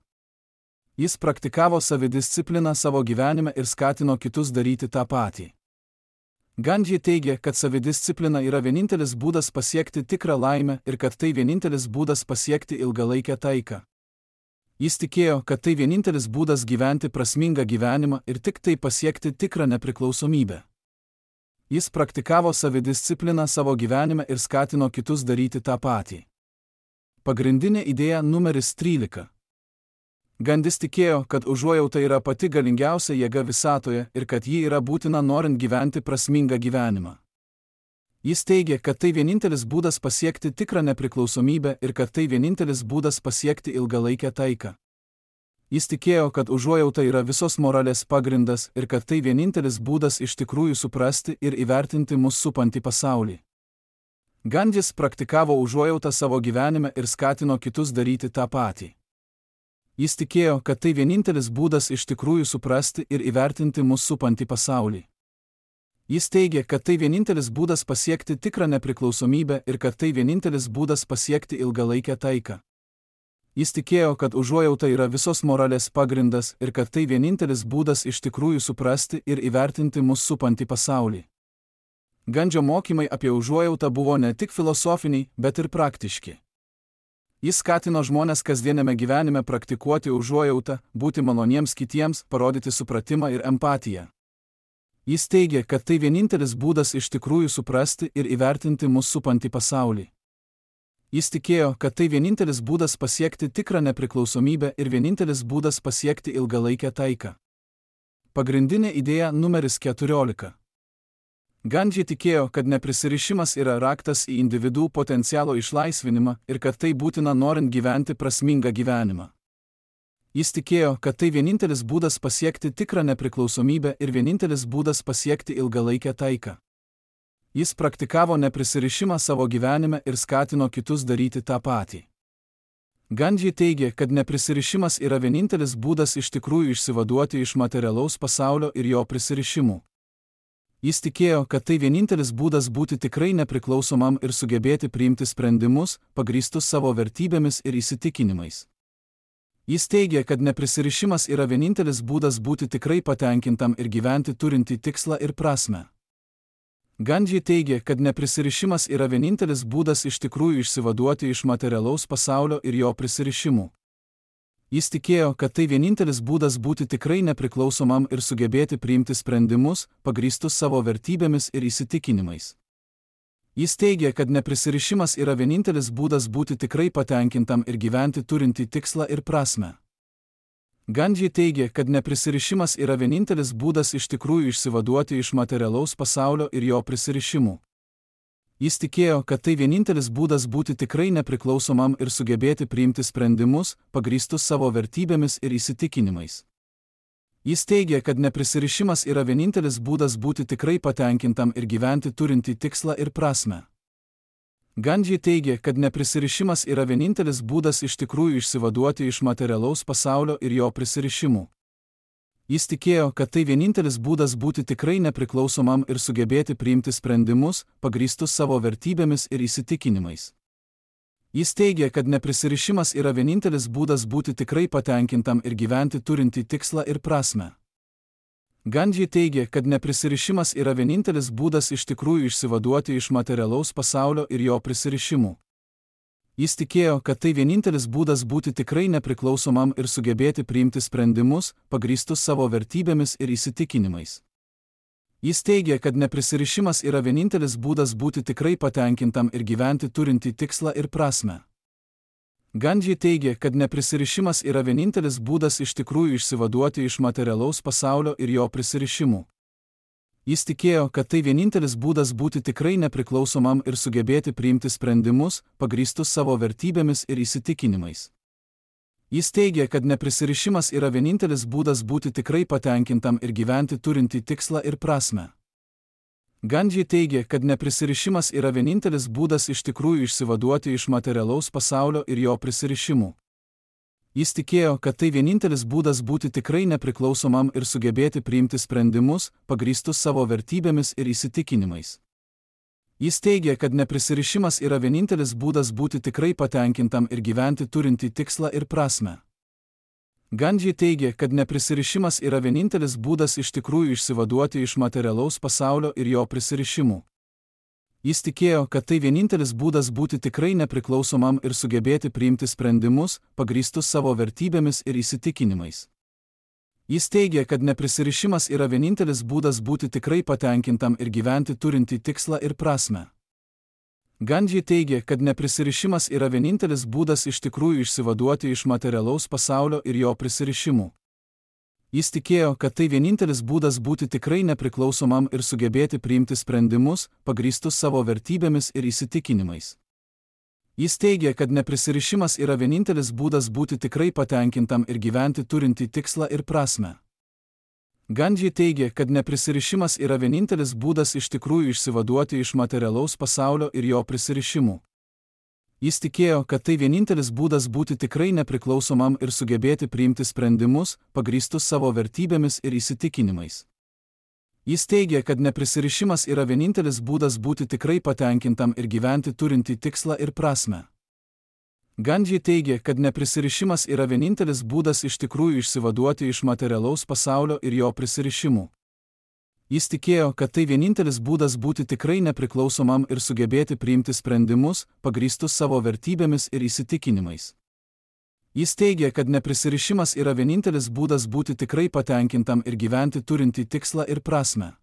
Jis praktikavo savidiscipliną savo gyvenime ir skatino kitus daryti tą patį. Gandži teigė, kad savidisciplina yra vienintelis būdas pasiekti tikrą laimę ir kad tai vienintelis būdas pasiekti ilgalaikę taiką. Jis tikėjo, kad tai vienintelis būdas gyventi prasmingą gyvenimą ir tik tai pasiekti tikrą nepriklausomybę. Jis praktikavo savidiscipliną savo gyvenime ir skatino kitus daryti tą patį. Pagrindinė idėja numeris 13. Gandis tikėjo, kad užuojauta yra pati galingiausia jėga visatoje ir kad ji yra būtina norint gyventi prasmingą gyvenimą. Jis teigė, kad tai vienintelis būdas pasiekti tikrą nepriklausomybę ir kad tai vienintelis būdas pasiekti ilgalaikę taiką. Jis tikėjo, kad užuojauta yra visos moralės pagrindas ir kad tai vienintelis būdas iš tikrųjų suprasti ir įvertinti mus supantį pasaulį. Gandis praktikavo užuojautą savo gyvenime ir skatino kitus daryti tą patį. Jis tikėjo, kad tai vienintelis būdas iš tikrųjų suprasti ir įvertinti mus supantį pasaulį. Jis teigė, kad tai vienintelis būdas pasiekti tikrą nepriklausomybę ir kad tai vienintelis būdas pasiekti ilgalaikę taiką. Jis tikėjo, kad užuojauta yra visos moralės pagrindas ir kad tai vienintelis būdas iš tikrųjų suprasti ir įvertinti mus supantį pasaulį. Gandžio mokymai apie užuojautą buvo ne tik filosofiniai, bet ir praktiški. Jis skatino žmones kasdieniame gyvenime praktikuoti užuojautą, būti maloniems kitiems, parodyti supratimą ir empatiją. Jis teigė, kad tai vienintelis būdas iš tikrųjų suprasti ir įvertinti mus supantį pasaulį. Jis tikėjo, kad tai vienintelis būdas pasiekti tikrą nepriklausomybę ir vienintelis būdas pasiekti ilgalaikę taiką. Pagrindinė idėja numeris 14. Gandži tikėjo, kad neprisirišimas yra raktas į individų potencialo išlaisvinimą ir kad tai būtina norint gyventi prasmingą gyvenimą. Jis tikėjo, kad tai vienintelis būdas pasiekti tikrą nepriklausomybę ir vienintelis būdas pasiekti ilgalaikę taiką. Jis praktikavo neprisirišimą savo gyvenime ir skatino kitus daryti tą patį. Gandži teigė, kad neprisirišimas yra vienintelis būdas iš tikrųjų išsivaduoti iš materialaus pasaulio ir jo prisirišimų. Jis tikėjo, kad tai vienintelis būdas būti tikrai nepriklausomam ir sugebėti priimti sprendimus, pagrįstus savo vertybėmis ir įsitikinimais. Jis teigė, kad neprisirišimas yra vienintelis būdas būti tikrai patenkintam ir gyventi turintį tikslą ir prasmę. Gandhi teigė, kad neprisirišimas yra vienintelis būdas iš tikrųjų išsivaduoti iš materialaus pasaulio ir jo prisirišimų. Jis tikėjo, kad tai vienintelis būdas būti tikrai nepriklausomam ir sugebėti priimti sprendimus, pagrįstus savo vertybėmis ir įsitikinimais. Jis teigė, kad neprisirišimas yra vienintelis būdas būti tikrai patenkintam ir gyventi turintį tikslą ir prasmę. Gandhi teigė, kad neprisirišimas yra vienintelis būdas iš tikrųjų išsivaduoti iš materialaus pasaulio ir jo prisirišimų. Jis tikėjo, kad tai vienintelis būdas būti tikrai nepriklausomam ir sugebėti priimti sprendimus, pagrįstus savo vertybėmis ir įsitikinimais. Jis teigė, kad neprisirišimas yra vienintelis būdas būti tikrai patenkintam ir gyventi turintį tikslą ir prasmę. Gandhi teigė, kad neprisirišimas yra vienintelis būdas iš tikrųjų išsivaduoti iš materialaus pasaulio ir jo prisirišimų. Jis tikėjo, kad tai vienintelis būdas būti tikrai nepriklausomam ir sugebėti priimti sprendimus, pagrįstus savo vertybėmis ir įsitikinimais. Jis teigė, kad neprisirišimas yra vienintelis būdas būti tikrai patenkintam ir gyventi turintį tikslą ir prasmę. Gandhi teigė, kad neprisirišimas yra vienintelis būdas iš tikrųjų išsivaduoti iš materialaus pasaulio ir jo prisirišimų. Jis tikėjo, kad tai vienintelis būdas būti tikrai nepriklausomam ir sugebėti priimti sprendimus, pagrįstus savo vertybėmis ir įsitikinimais. Jis teigė, kad neprisirišimas yra vienintelis būdas būti tikrai patenkintam ir gyventi turintį tikslą ir prasmę. Gandhi teigė, kad neprisirišimas yra vienintelis būdas iš tikrųjų išsivaduoti iš materialaus pasaulio ir jo prisirišimų. Jis tikėjo, kad tai vienintelis būdas būti tikrai nepriklausomam ir sugebėti priimti sprendimus, pagrįstus savo vertybėmis ir įsitikinimais. Jis teigė, kad neprisirišimas yra vienintelis būdas būti tikrai patenkintam ir gyventi turintį tikslą ir prasmę. Gandhi teigė, kad neprisirišimas yra vienintelis būdas iš tikrųjų išsivaduoti iš materialaus pasaulio ir jo prisirišimų. Jis tikėjo, kad tai vienintelis būdas būti tikrai nepriklausomam ir sugebėti priimti sprendimus, pagrįstus savo vertybėmis ir įsitikinimais. Jis teigė, kad neprisirišimas yra vienintelis būdas būti tikrai patenkintam ir gyventi turintį tikslą ir prasmę. Gandhi teigė, kad neprisirišimas yra vienintelis būdas iš tikrųjų išsivaduoti iš materialaus pasaulio ir jo prisirišimų. Jis tikėjo, kad tai vienintelis būdas būti tikrai nepriklausomam ir sugebėti priimti sprendimus, pagrįstus savo vertybėmis ir įsitikinimais. Jis teigė, kad neprisirišimas yra vienintelis būdas būti tikrai patenkintam ir gyventi turintį tikslą ir prasmę. Gandhi teigė, kad neprisirišimas yra vienintelis būdas iš tikrųjų išsivaduoti iš materialaus pasaulio ir jo prisirišimų. Jis tikėjo, kad tai vienintelis būdas būti tikrai nepriklausomam ir sugebėti priimti sprendimus, pagrįstus savo vertybėmis ir įsitikinimais. Jis teigė, kad neprisirišimas yra vienintelis būdas būti tikrai patenkintam ir gyventi turintį tikslą ir prasmę. Gandhi teigė, kad neprisirišimas yra vienintelis būdas iš tikrųjų išsivaduoti iš materialaus pasaulio ir jo prisirišimų. Jis tikėjo, kad tai vienintelis būdas būti tikrai nepriklausomam ir sugebėti priimti sprendimus, pagrįstus savo vertybėmis ir įsitikinimais. Jis teigė, kad neprisirišimas yra vienintelis būdas būti tikrai patenkintam ir gyventi turintį tikslą ir prasmę. Gandhi teigė, kad neprisirišimas yra vienintelis būdas iš tikrųjų išsivaduoti iš materialaus pasaulio ir jo prisirišimų. Jis tikėjo, kad tai vienintelis būdas būti tikrai nepriklausomam ir sugebėti priimti sprendimus, pagrįstus savo vertybėmis ir įsitikinimais. Jis teigė, kad neprisirišimas yra vienintelis būdas būti tikrai patenkintam ir gyventi turintį tikslą ir prasmę.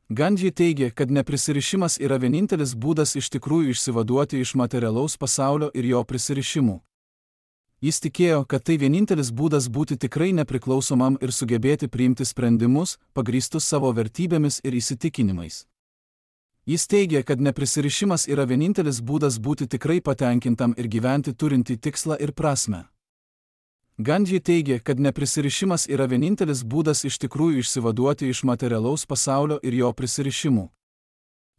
Gandhi teigė, kad neprisirišimas yra vienintelis būdas iš tikrųjų išsivaduoti iš materialaus pasaulio ir jo prisirišimų. Jis tikėjo, kad tai vienintelis būdas būti tikrai nepriklausomam ir sugebėti priimti sprendimus, pagrįstus savo vertybėmis ir įsitikinimais. Jis teigė, kad neprisirišimas yra vienintelis būdas būti tikrai patenkintam ir gyventi turintį tikslą ir prasmę. Gandhi teigė, kad neprisirišimas yra vienintelis būdas iš tikrųjų išsivaduoti iš materialaus pasaulio ir jo prisirišimų.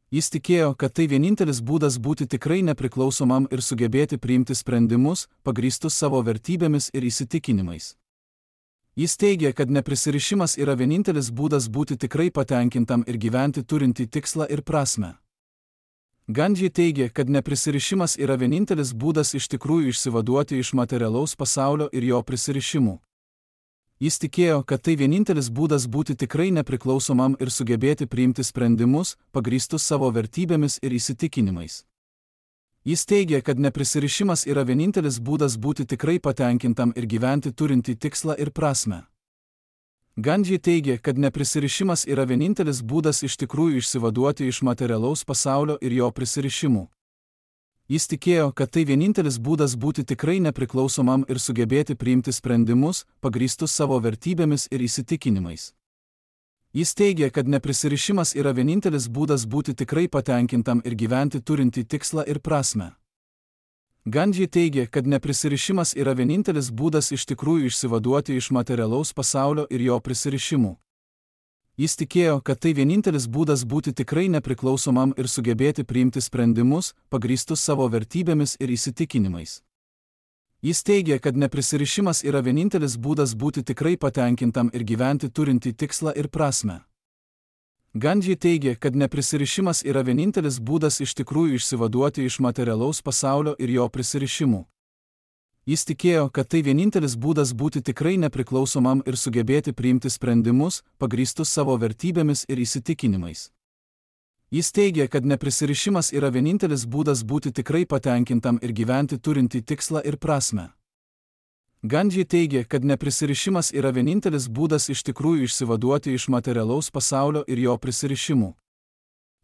Jis tikėjo, kad tai vienintelis būdas būti tikrai nepriklausomam ir sugebėti priimti sprendimus, pagrįstus savo vertybėmis ir įsitikinimais. Jis teigia, kad neprisirišimas yra vienintelis būdas būti tikrai patenkintam ir gyventi turintį tikslą ir prasmę. Gandhi teigia, kad neprisirišimas yra vienintelis būdas iš tikrųjų išsivaduoti iš materialaus pasaulio ir jo prisirišimų. Jis tikėjo, kad tai vienintelis būdas būti tikrai nepriklausomam ir sugebėti priimti sprendimus, pagrįstus savo vertybėmis ir įsitikinimais. Jis teigia, kad neprisirišimas yra vienintelis būdas būti tikrai patenkintam ir gyventi turintį tikslą ir prasmę. Gandhi teigia, kad neprisirišimas yra vienintelis būdas iš tikrųjų išsivaduoti iš materialaus pasaulio ir jo prisirišimų. Jis tikėjo, kad tai vienintelis būdas būti tikrai nepriklausomam ir sugebėti priimti sprendimus, pagrįstus savo vertybėmis ir įsitikinimais. Jis teigia, kad neprisirišimas yra vienintelis būdas būti tikrai patenkintam ir gyventi turintį tikslą ir prasmę. Gandhi teigia, kad neprisirišimas yra vienintelis būdas iš tikrųjų išsivaduoti iš materialaus pasaulio ir jo prisirišimų. Jis tikėjo, kad tai vienintelis būdas būti tikrai nepriklausomam ir sugebėti priimti sprendimus, pagrįstus savo vertybėmis ir įsitikinimais. Jis teigia, kad neprisirišimas yra vienintelis būdas būti tikrai patenkintam ir gyventi turintį tikslą ir prasmę. Gandhi teigia, kad neprisirišimas yra vienintelis būdas iš tikrųjų išsivaduoti iš materialaus pasaulio ir jo prisirišimų. Jis tikėjo, kad tai vienintelis būdas būti tikrai nepriklausomam ir sugebėti priimti sprendimus, pagrįstus savo vertybėmis ir įsitikinimais. Jis teigia, kad neprisirišimas yra vienintelis būdas būti tikrai patenkintam ir gyventi turintį tikslą ir prasmę. Gandhi teigia, kad neprisirišimas yra vienintelis būdas iš tikrųjų išsivaduoti iš materialaus pasaulio ir jo prisirišimų.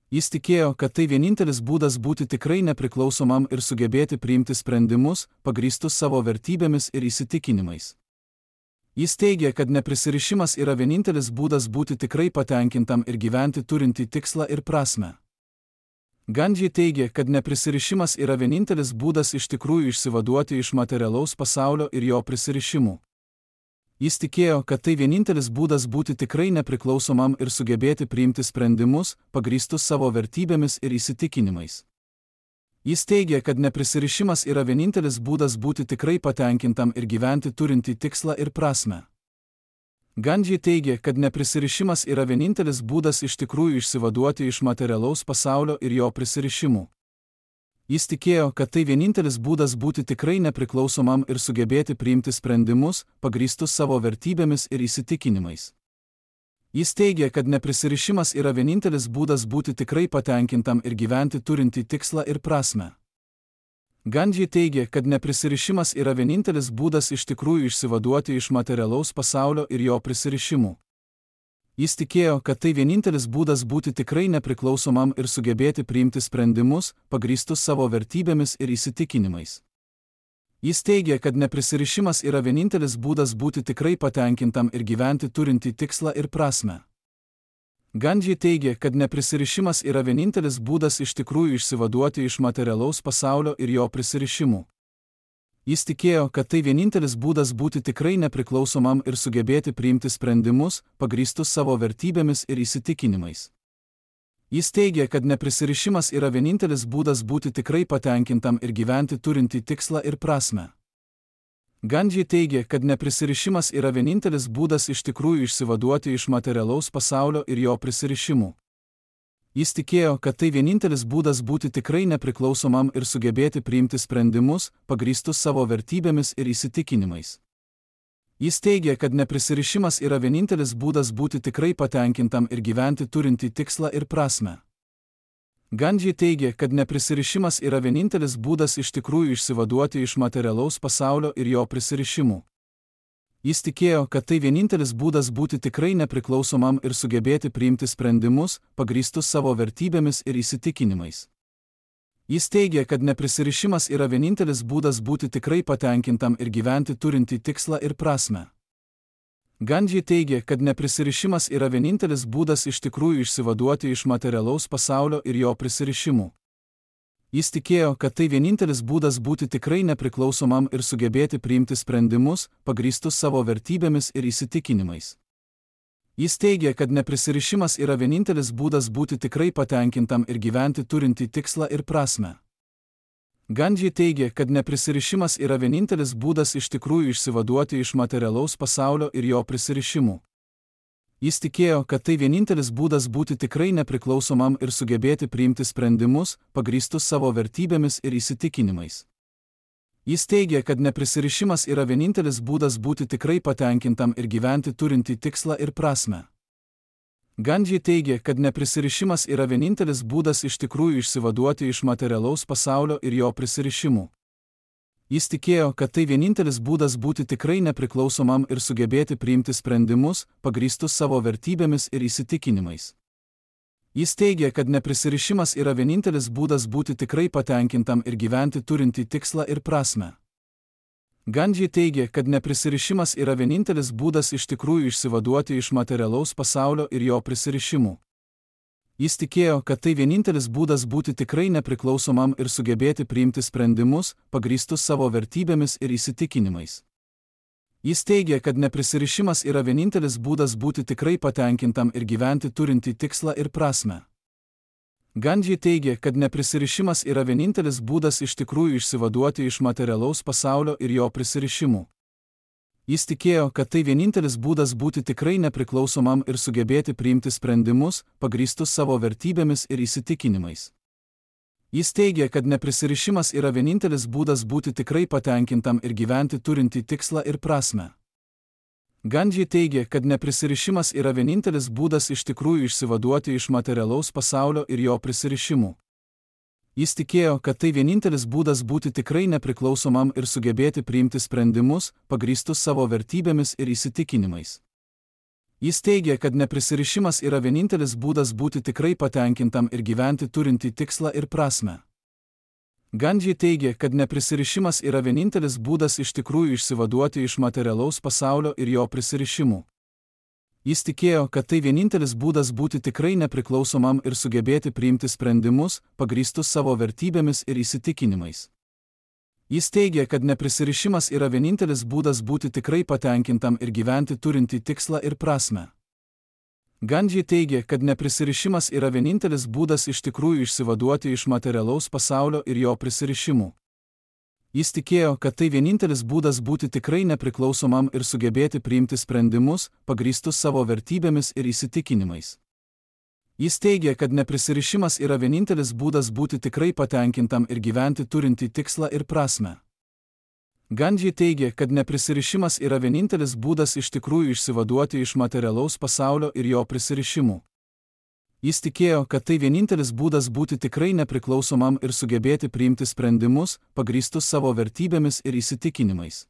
Jis tikėjo, kad tai vienintelis būdas būti tikrai nepriklausomam ir sugebėti priimti sprendimus, pagrįstus savo vertybėmis ir įsitikinimais. Jis teigia, kad neprisirišimas yra vienintelis būdas būti tikrai patenkintam ir gyventi turintį tikslą ir prasmę. Gandhi teigia, kad neprisirišimas yra vienintelis būdas iš tikrųjų išsivaduoti iš materialaus pasaulio ir jo prisirišimų. Jis tikėjo, kad tai vienintelis būdas būti tikrai nepriklausomam ir sugebėti priimti sprendimus, pagrįstus savo vertybėmis ir įsitikinimais. Jis teigia, kad neprisirišimas yra vienintelis būdas būti tikrai patenkintam ir gyventi turintį tikslą ir prasmę. Gandhi teigia, kad neprisirišimas yra vienintelis būdas iš tikrųjų išsivaduoti iš materialaus pasaulio ir jo prisirišimų. Jis tikėjo, kad tai vienintelis būdas būti tikrai nepriklausomam ir sugebėti priimti sprendimus, pagrįstus savo vertybėmis ir įsitikinimais. Jis teigia, kad neprisirišimas yra vienintelis būdas būti tikrai patenkintam ir gyventi turintį tikslą ir prasmę. Gandhi teigia, kad neprisirišimas yra vienintelis būdas iš tikrųjų išsivaduoti iš materialaus pasaulio ir jo prisirišimų. Jis tikėjo, kad tai vienintelis būdas būti tikrai nepriklausomam ir sugebėti priimti sprendimus, pagrįstus savo vertybėmis ir įsitikinimais. Jis teigia, kad neprisirišimas yra vienintelis būdas būti tikrai patenkintam ir gyventi turintį tikslą ir prasmę. Gandhi teigia, kad neprisirišimas yra vienintelis būdas iš tikrųjų išsivaduoti iš materialaus pasaulio ir jo prisirišimų. Jis tikėjo, kad tai vienintelis būdas būti tikrai nepriklausomam ir sugebėti priimti sprendimus, pagrįstus savo vertybėmis ir įsitikinimais. Jis teigia, kad neprisirišimas yra vienintelis būdas būti tikrai patenkintam ir gyventi turintį tikslą ir prasmę. Gandhi teigia, kad neprisirišimas yra vienintelis būdas iš tikrųjų išsivaduoti iš materialaus pasaulio ir jo prisirišimų. Jis tikėjo, kad tai vienintelis būdas būti tikrai nepriklausomam ir sugebėti priimti sprendimus, pagrįstus savo vertybėmis ir įsitikinimais. Jis teigia, kad neprisirišimas yra vienintelis būdas būti tikrai patenkintam ir gyventi turintį tikslą ir prasmę. Gandhi teigia, kad neprisirišimas yra vienintelis būdas iš tikrųjų išsivaduoti iš materialaus pasaulio ir jo prisirišimų. Jis tikėjo, kad tai vienintelis būdas būti tikrai nepriklausomam ir sugebėti priimti sprendimus, pagrįstus savo vertybėmis ir įsitikinimais. Jis teigia, kad neprisirišimas yra vienintelis būdas būti tikrai patenkintam ir gyventi turintį tikslą ir prasmę. Gandhi teigia, kad neprisirišimas yra vienintelis būdas iš tikrųjų išsivaduoti iš materialaus pasaulio ir jo prisirišimų. Jis tikėjo, kad tai vienintelis būdas būti tikrai nepriklausomam ir sugebėti priimti sprendimus, pagrįstus savo vertybėmis ir įsitikinimais. Jis teigia, kad neprisirišimas yra vienintelis būdas būti tikrai patenkintam ir gyventi turintį tikslą ir prasmę. Gandhi teigė, kad neprisirišimas yra vienintelis būdas iš tikrųjų išsivaduoti iš materialaus pasaulio ir jo prisirišimų. Jis tikėjo, kad tai vienintelis būdas būti tikrai nepriklausomam ir sugebėti priimti sprendimus, pagrįstus savo vertybėmis ir įsitikinimais. Jis teigė, kad neprisirišimas yra vienintelis būdas būti tikrai patenkintam ir gyventi turintį tikslą ir prasmę. Gandhi teigė, kad neprisirišimas yra vienintelis būdas iš tikrųjų išsivaduoti iš materialaus pasaulio ir jo prisirišimų. Jis tikėjo, kad tai vienintelis būdas būti tikrai nepriklausomam ir sugebėti priimti sprendimus, pagrįstus savo vertybėmis ir įsitikinimais. Jis teigė, kad neprisirišimas yra vienintelis būdas būti tikrai patenkintam ir gyventi turintį tikslą ir prasmę. Gandhi teigė, kad neprisirišimas yra vienintelis būdas iš tikrųjų išsivaduoti iš materialaus pasaulio ir jo prisirišimų. Jis tikėjo, kad tai vienintelis būdas būti tikrai nepriklausomam ir sugebėti priimti sprendimus, pagrįstus savo vertybėmis ir įsitikinimais. Jis teigė, kad neprisirišimas yra vienintelis būdas būti tikrai patenkintam ir gyventi turintį tikslą ir prasmę. Gandhi teigė, kad neprisirišimas yra vienintelis būdas iš tikrųjų išsivaduoti iš materialaus pasaulio ir jo prisirišimų. Jis tikėjo, kad tai vienintelis būdas būti tikrai nepriklausomam ir sugebėti priimti sprendimus, pagrįstus savo vertybėmis ir įsitikinimais. Jis teigė, kad neprisirišimas yra vienintelis būdas būti tikrai patenkintam ir gyventi turintį tikslą ir prasmę. Gandhi teigė, kad neprisirišimas yra vienintelis būdas iš tikrųjų išsivaduoti iš materialaus pasaulio ir jo prisirišimų. Jis tikėjo, kad tai vienintelis būdas būti tikrai nepriklausomam ir sugebėti priimti sprendimus, pagrįstus savo vertybėmis ir įsitikinimais. Jis teigė, kad neprisirišimas yra vienintelis būdas būti tikrai patenkintam ir gyventi turintį tikslą ir prasmę. Gandhi teigė, kad neprisirišimas yra vienintelis būdas iš tikrųjų išsivaduoti iš materialaus pasaulio ir jo prisirišimų. Jis tikėjo, kad tai vienintelis būdas būti tikrai nepriklausomam ir sugebėti priimti sprendimus, pagrįstus savo vertybėmis ir įsitikinimais. Jis teigė, kad neprisirišimas yra vienintelis būdas būti tikrai patenkintam ir gyventi turintį tikslą ir prasmę. Gandhi teigė, kad neprisirišimas yra vienintelis būdas iš tikrųjų išsivaduoti iš materialaus pasaulio ir jo prisirišimų. Jis tikėjo, kad tai vienintelis būdas būti tikrai nepriklausomam ir sugebėti priimti sprendimus, pagrįstus savo vertybėmis ir įsitikinimais. Jis teigė, kad neprisirišimas yra vienintelis būdas būti tikrai patenkintam ir gyventi turintį tikslą ir prasmę. Gandhi teigė, kad neprisirišimas yra vienintelis būdas iš tikrųjų išsivaduoti iš materialaus pasaulio ir jo prisirišimų. Jis tikėjo, kad tai vienintelis būdas būti tikrai nepriklausomam ir sugebėti priimti sprendimus, pagrįstus savo vertybėmis ir įsitikinimais.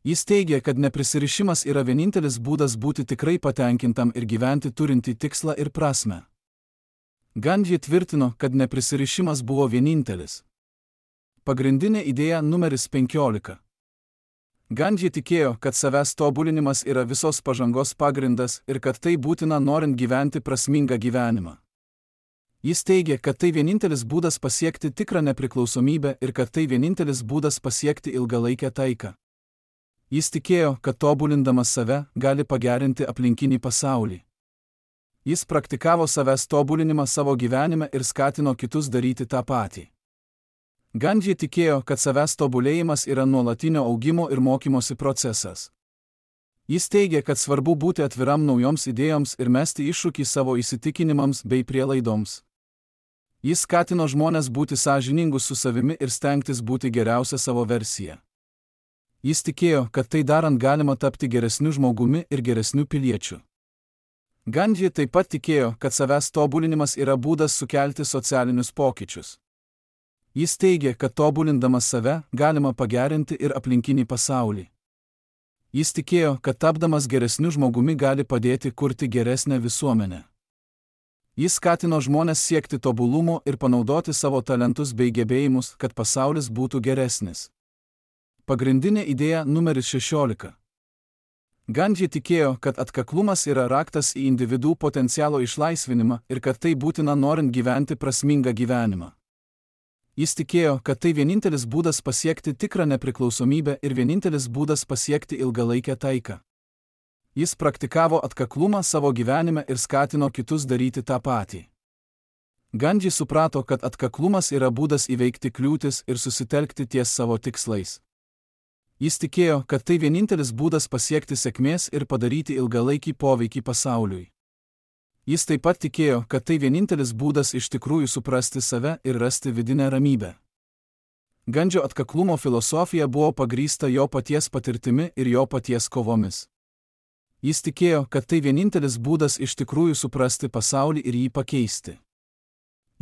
Jis teigė, kad neprisirišimas yra vienintelis būdas būti tikrai patenkintam ir gyventi turintį tikslą ir prasmę. Gandhi tvirtino, kad neprisirišimas buvo vienintelis. Pagrindinė idėja numeris 15. Gandhi tikėjo, kad savęs tobulinimas yra visos pažangos pagrindas ir kad tai būtina norint gyventi prasmingą gyvenimą. Jis teigė, kad tai vienintelis būdas pasiekti tikrą nepriklausomybę ir kad tai vienintelis būdas pasiekti ilgalaikę taiką. Jis tikėjo, kad tobulindamas save gali pagerinti aplinkinį pasaulį. Jis praktikavo savęs tobulinimą savo gyvenime ir skatino kitus daryti tą patį. Gandhi tikėjo, kad savęs tobulėjimas yra nuolatinio augimo ir mokymosi procesas. Jis teigė, kad svarbu būti atviram naujoms idėjoms ir mesti iššūkį savo įsitikinimams bei prielaidoms. Jis skatino žmones būti sąžiningus su savimi ir stengtis būti geriausia savo versija. Jis tikėjo, kad tai darant galima tapti geresniu žmogumi ir geresniu piliečiu. Gandhi taip pat tikėjo, kad savęs tobulinimas yra būdas sukelti socialinius pokyčius. Jis teigė, kad tobulindamas save galima pagerinti ir aplinkinį pasaulį. Jis tikėjo, kad tapdamas geresniu žmogumi gali padėti kurti geresnę visuomenę. Jis skatino žmones siekti tobulumo ir panaudoti savo talentus bei gebėjimus, kad pasaulis būtų geresnis. Pagrindinė idėja numeris 16. Gandhi tikėjo, kad atkaklumas yra raktas į individų potencialo išlaisvinimą ir kad tai būtina norint gyventi prasmingą gyvenimą. Jis tikėjo, kad tai vienintelis būdas pasiekti tikrą nepriklausomybę ir vienintelis būdas pasiekti ilgalaikę taiką. Jis praktikavo atkaklumą savo gyvenime ir skatino kitus daryti tą patį. Gandhi suprato, kad atkaklumas yra būdas įveikti kliūtis ir susitelkti ties savo tikslais. Jis tikėjo, kad tai vienintelis būdas pasiekti sėkmės ir padaryti ilgalaikį poveikį pasauliui. Jis taip pat tikėjo, kad tai vienintelis būdas iš tikrųjų suprasti save ir rasti vidinę ramybę. Gandžio atkaklumo filosofija buvo pagrįsta jo paties patirtimi ir jo paties kovomis. Jis tikėjo, kad tai vienintelis būdas iš tikrųjų suprasti pasaulį ir jį pakeisti.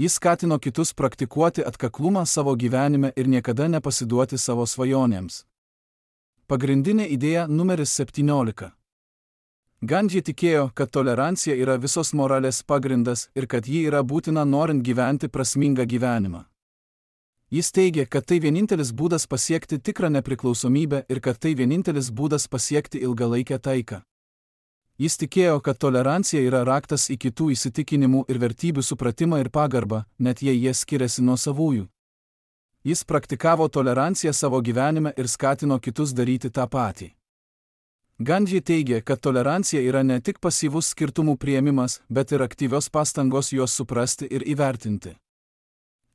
Jis skatino kitus praktikuoti atkaklumą savo gyvenime ir niekada nepasiduoti savo svajonėms. Pagrindinė idėja numeris 17. Gandhi tikėjo, kad tolerancija yra visos moralės pagrindas ir kad ji yra būtina norint gyventi prasmingą gyvenimą. Jis teigė, kad tai vienintelis būdas pasiekti tikrą nepriklausomybę ir kad tai vienintelis būdas pasiekti ilgalaikę taiką. Jis tikėjo, kad tolerancija yra raktas į kitų įsitikinimų ir vertybių supratimą ir pagarbą, net jei jie skiriasi nuo savųjų. Jis praktikavo toleranciją savo gyvenime ir skatino kitus daryti tą patį. Gandhi teigė, kad tolerancija yra ne tik pasyvus skirtumų priėmimas, bet ir aktyvios pastangos juos suprasti ir įvertinti.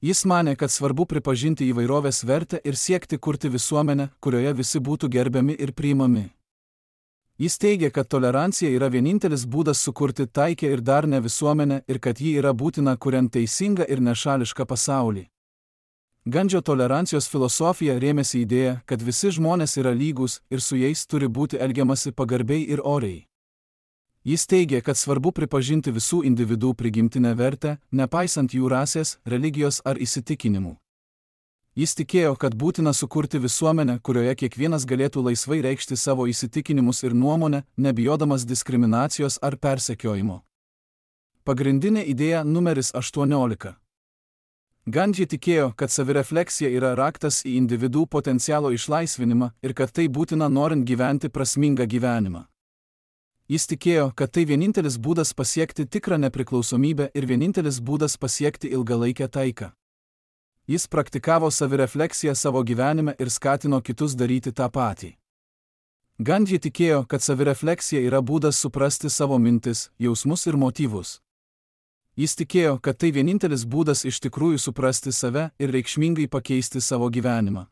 Jis manė, kad svarbu pripažinti įvairovės vertę ir siekti kurti visuomenę, kurioje visi būtų gerbiami ir priimami. Jis teigė, kad tolerancija yra vienintelis būdas sukurti taikę ir darnią visuomenę ir kad ji yra būtina kuriant teisingą ir nešališką pasaulį. Gandžio tolerancijos filosofija rėmėsi idėja, kad visi žmonės yra lygūs ir su jais turi būti elgiamasi pagarbiai ir oriai. Jis teigė, kad svarbu pripažinti visų individų prigimtinę vertę, nepaisant jų rasės, religijos ar įsitikinimų. Jis tikėjo, kad būtina sukurti visuomenę, kurioje kiekvienas galėtų laisvai reikšti savo įsitikinimus ir nuomonę, nebijodamas diskriminacijos ar persekiojimo. Pagrindinė idėja numeris 18. Gandhi tikėjo, kad savirefleksija yra raktas į individų potencialo išlaisvinimą ir kad tai būtina norint gyventi prasmingą gyvenimą. Jis tikėjo, kad tai vienintelis būdas pasiekti tikrą nepriklausomybę ir vienintelis būdas pasiekti ilgalaikę taiką. Jis praktikavo savirefleksiją savo gyvenime ir skatino kitus daryti tą patį. Gandhi tikėjo, kad savirefleksija yra būdas suprasti savo mintis, jausmus ir motyvus. Jis tikėjo, kad tai vienintelis būdas iš tikrųjų suprasti save ir reikšmingai pakeisti savo gyvenimą.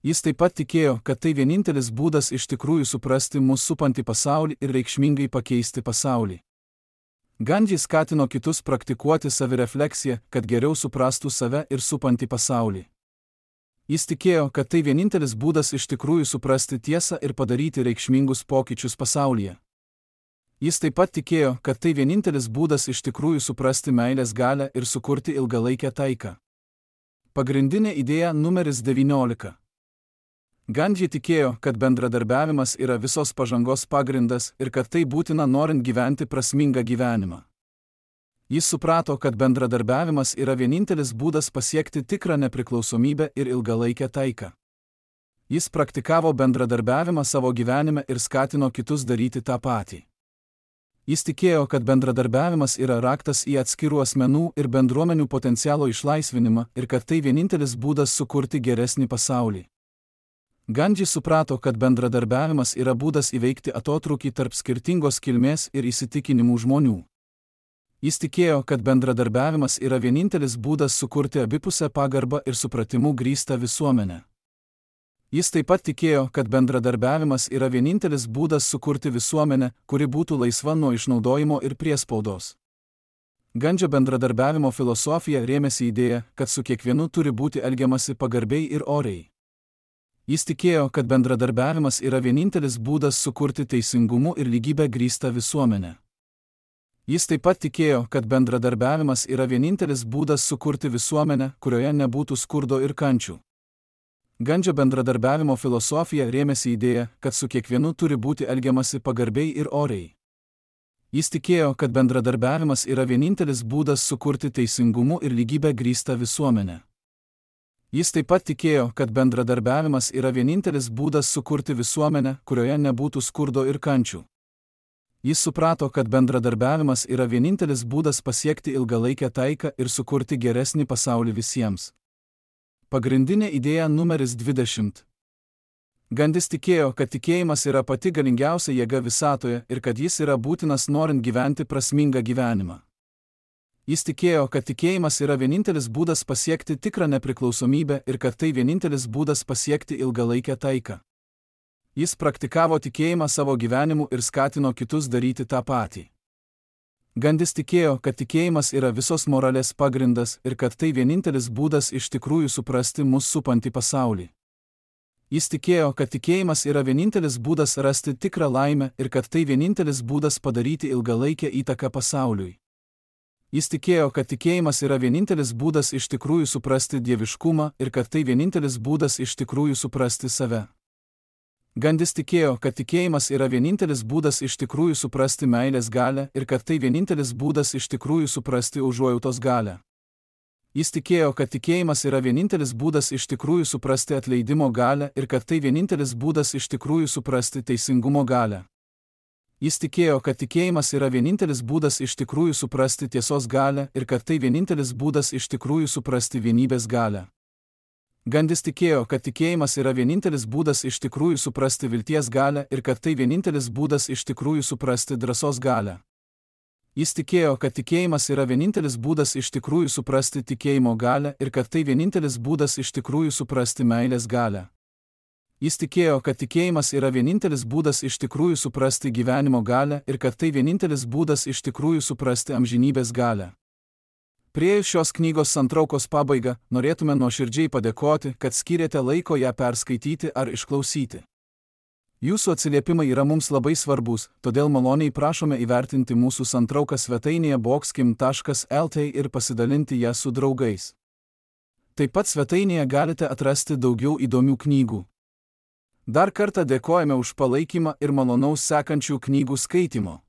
Jis taip pat tikėjo, kad tai vienintelis būdas iš tikrųjų suprasti mus supantį pasaulį ir reikšmingai pakeisti pasaulį. Gandhi skatino kitus praktikuoti savirefleksiją, kad geriau suprastų save ir supantį pasaulį. Jis tikėjo, kad tai vienintelis būdas iš tikrųjų suprasti tiesą ir padaryti reikšmingus pokyčius pasaulyje. Jis taip pat tikėjo, kad tai vienintelis būdas iš tikrųjų suprasti meilės galią ir sukurti ilgalaikę taiką. Pagrindinė idėja numeris 19. Gandhi tikėjo, kad bendradarbiavimas yra visos pažangos pagrindas ir kad tai būtina norint gyventi prasmingą gyvenimą. Jis suprato, kad bendradarbiavimas yra vienintelis būdas pasiekti tikrą nepriklausomybę ir ilgalaikę taiką. Jis praktikavo bendradarbiavimą savo gyvenime ir skatino kitus daryti tą patį. Jis tikėjo, kad bendradarbiavimas yra raktas į atskirų asmenų ir bendruomenių potencialo išlaisvinimą ir kad tai vienintelis būdas sukurti geresnį pasaulį. Gandhi suprato, kad bendradarbiavimas yra būdas įveikti atotrūkį tarp skirtingos kilmės ir įsitikinimų žmonių. Jis tikėjo, kad bendradarbiavimas yra vienintelis būdas sukurti abipusę pagarbą ir supratimu grįstą visuomenę. Jis taip pat tikėjo, kad bendradarbiavimas yra vienintelis būdas sukurti visuomenę, kuri būtų laisva nuo išnaudojimo ir priespaudos. Gandžio bendradarbiavimo filosofija rėmėsi idėja, kad su kiekvienu turi būti elgiamasi pagarbiai ir oriai. Jis tikėjo, kad bendradarbiavimas yra vienintelis būdas sukurti teisingumu ir lygybę grįstą visuomenę. Jis taip pat tikėjo, kad bendradarbiavimas yra vienintelis būdas sukurti visuomenę, kurioje nebūtų skurdo ir kančių. Gandžio bendradarbiavimo filosofija rėmėsi idėja, kad su kiekvienu turi būti elgiamasi pagarbiai ir oriai. Jis tikėjo, kad bendradarbiavimas yra vienintelis būdas sukurti teisingumu ir lygybę grįstą visuomenę. Jis taip pat tikėjo, kad bendradarbiavimas yra vienintelis būdas sukurti visuomenę, kurioje nebūtų skurdo ir kančių. Jis suprato, kad bendradarbiavimas yra vienintelis būdas pasiekti ilgalaikę taiką ir sukurti geresnį pasaulį visiems. Pagrindinė idėja numeris 20. Gandis tikėjo, kad tikėjimas yra pati galingiausia jėga visatoje ir kad jis yra būtinas norint gyventi prasmingą gyvenimą. Jis tikėjo, kad tikėjimas yra vienintelis būdas pasiekti tikrą nepriklausomybę ir kad tai vienintelis būdas pasiekti ilgalaikę taiką. Jis praktikavo tikėjimą savo gyvenimu ir skatino kitus daryti tą patį. Gandis tikėjo, kad tikėjimas yra visos moralės pagrindas ir kad tai vienintelis būdas iš tikrųjų suprasti mus supantį pasaulį. Jis tikėjo, kad tikėjimas yra vienintelis būdas rasti tikrą laimę ir kad tai vienintelis būdas padaryti ilgalaikę įtaką pasauliui. Jis tikėjo, kad tikėjimas yra vienintelis būdas iš tikrųjų suprasti dieviškumą ir kad tai vienintelis būdas iš tikrųjų suprasti save. Gandis tikėjo, kad tikėjimas yra vienintelis būdas iš tikrųjų suprasti meilės galią ir kad tai vienintelis būdas iš tikrųjų suprasti užuojautos galią. Jis tikėjo, kad tikėjimas yra vienintelis būdas iš tikrųjų suprasti atleidimo galią ir kad tai vienintelis būdas iš tikrųjų suprasti teisingumo galią. Jis tikėjo, kad tikėjimas yra vienintelis būdas iš tikrųjų suprasti tiesos galią ir kad tai vienintelis būdas iš tikrųjų suprasti vienybės galią. Gandis tikėjo, kad tikėjimas yra vienintelis būdas iš tikrųjų suprasti vilties galią ir kad tai vienintelis būdas iš tikrųjų suprasti drąsos galią. Jis tikėjo, kad tikėjimas yra vienintelis būdas iš tikrųjų suprasti tikėjimo galią ir kad tai vienintelis būdas iš tikrųjų suprasti meilės galią. Jis tikėjo, kad tikėjimas yra vienintelis būdas iš tikrųjų suprasti gyvenimo galią ir kad tai vienintelis būdas iš tikrųjų suprasti amžinybės galią. Priėjus šios knygos santraukos pabaigą, norėtume nuoširdžiai padėkoti, kad skyrėte laiko ją perskaityti ar išklausyti. Jūsų atsiliepimai yra mums labai svarbus, todėl maloniai prašome įvertinti mūsų santrauką svetainėje boxkim.lt ir pasidalinti ją su draugais. Taip pat svetainėje galite atrasti daugiau įdomių knygų. Dar kartą dėkojame už palaikymą ir malonaus sekančių knygų skaitimo.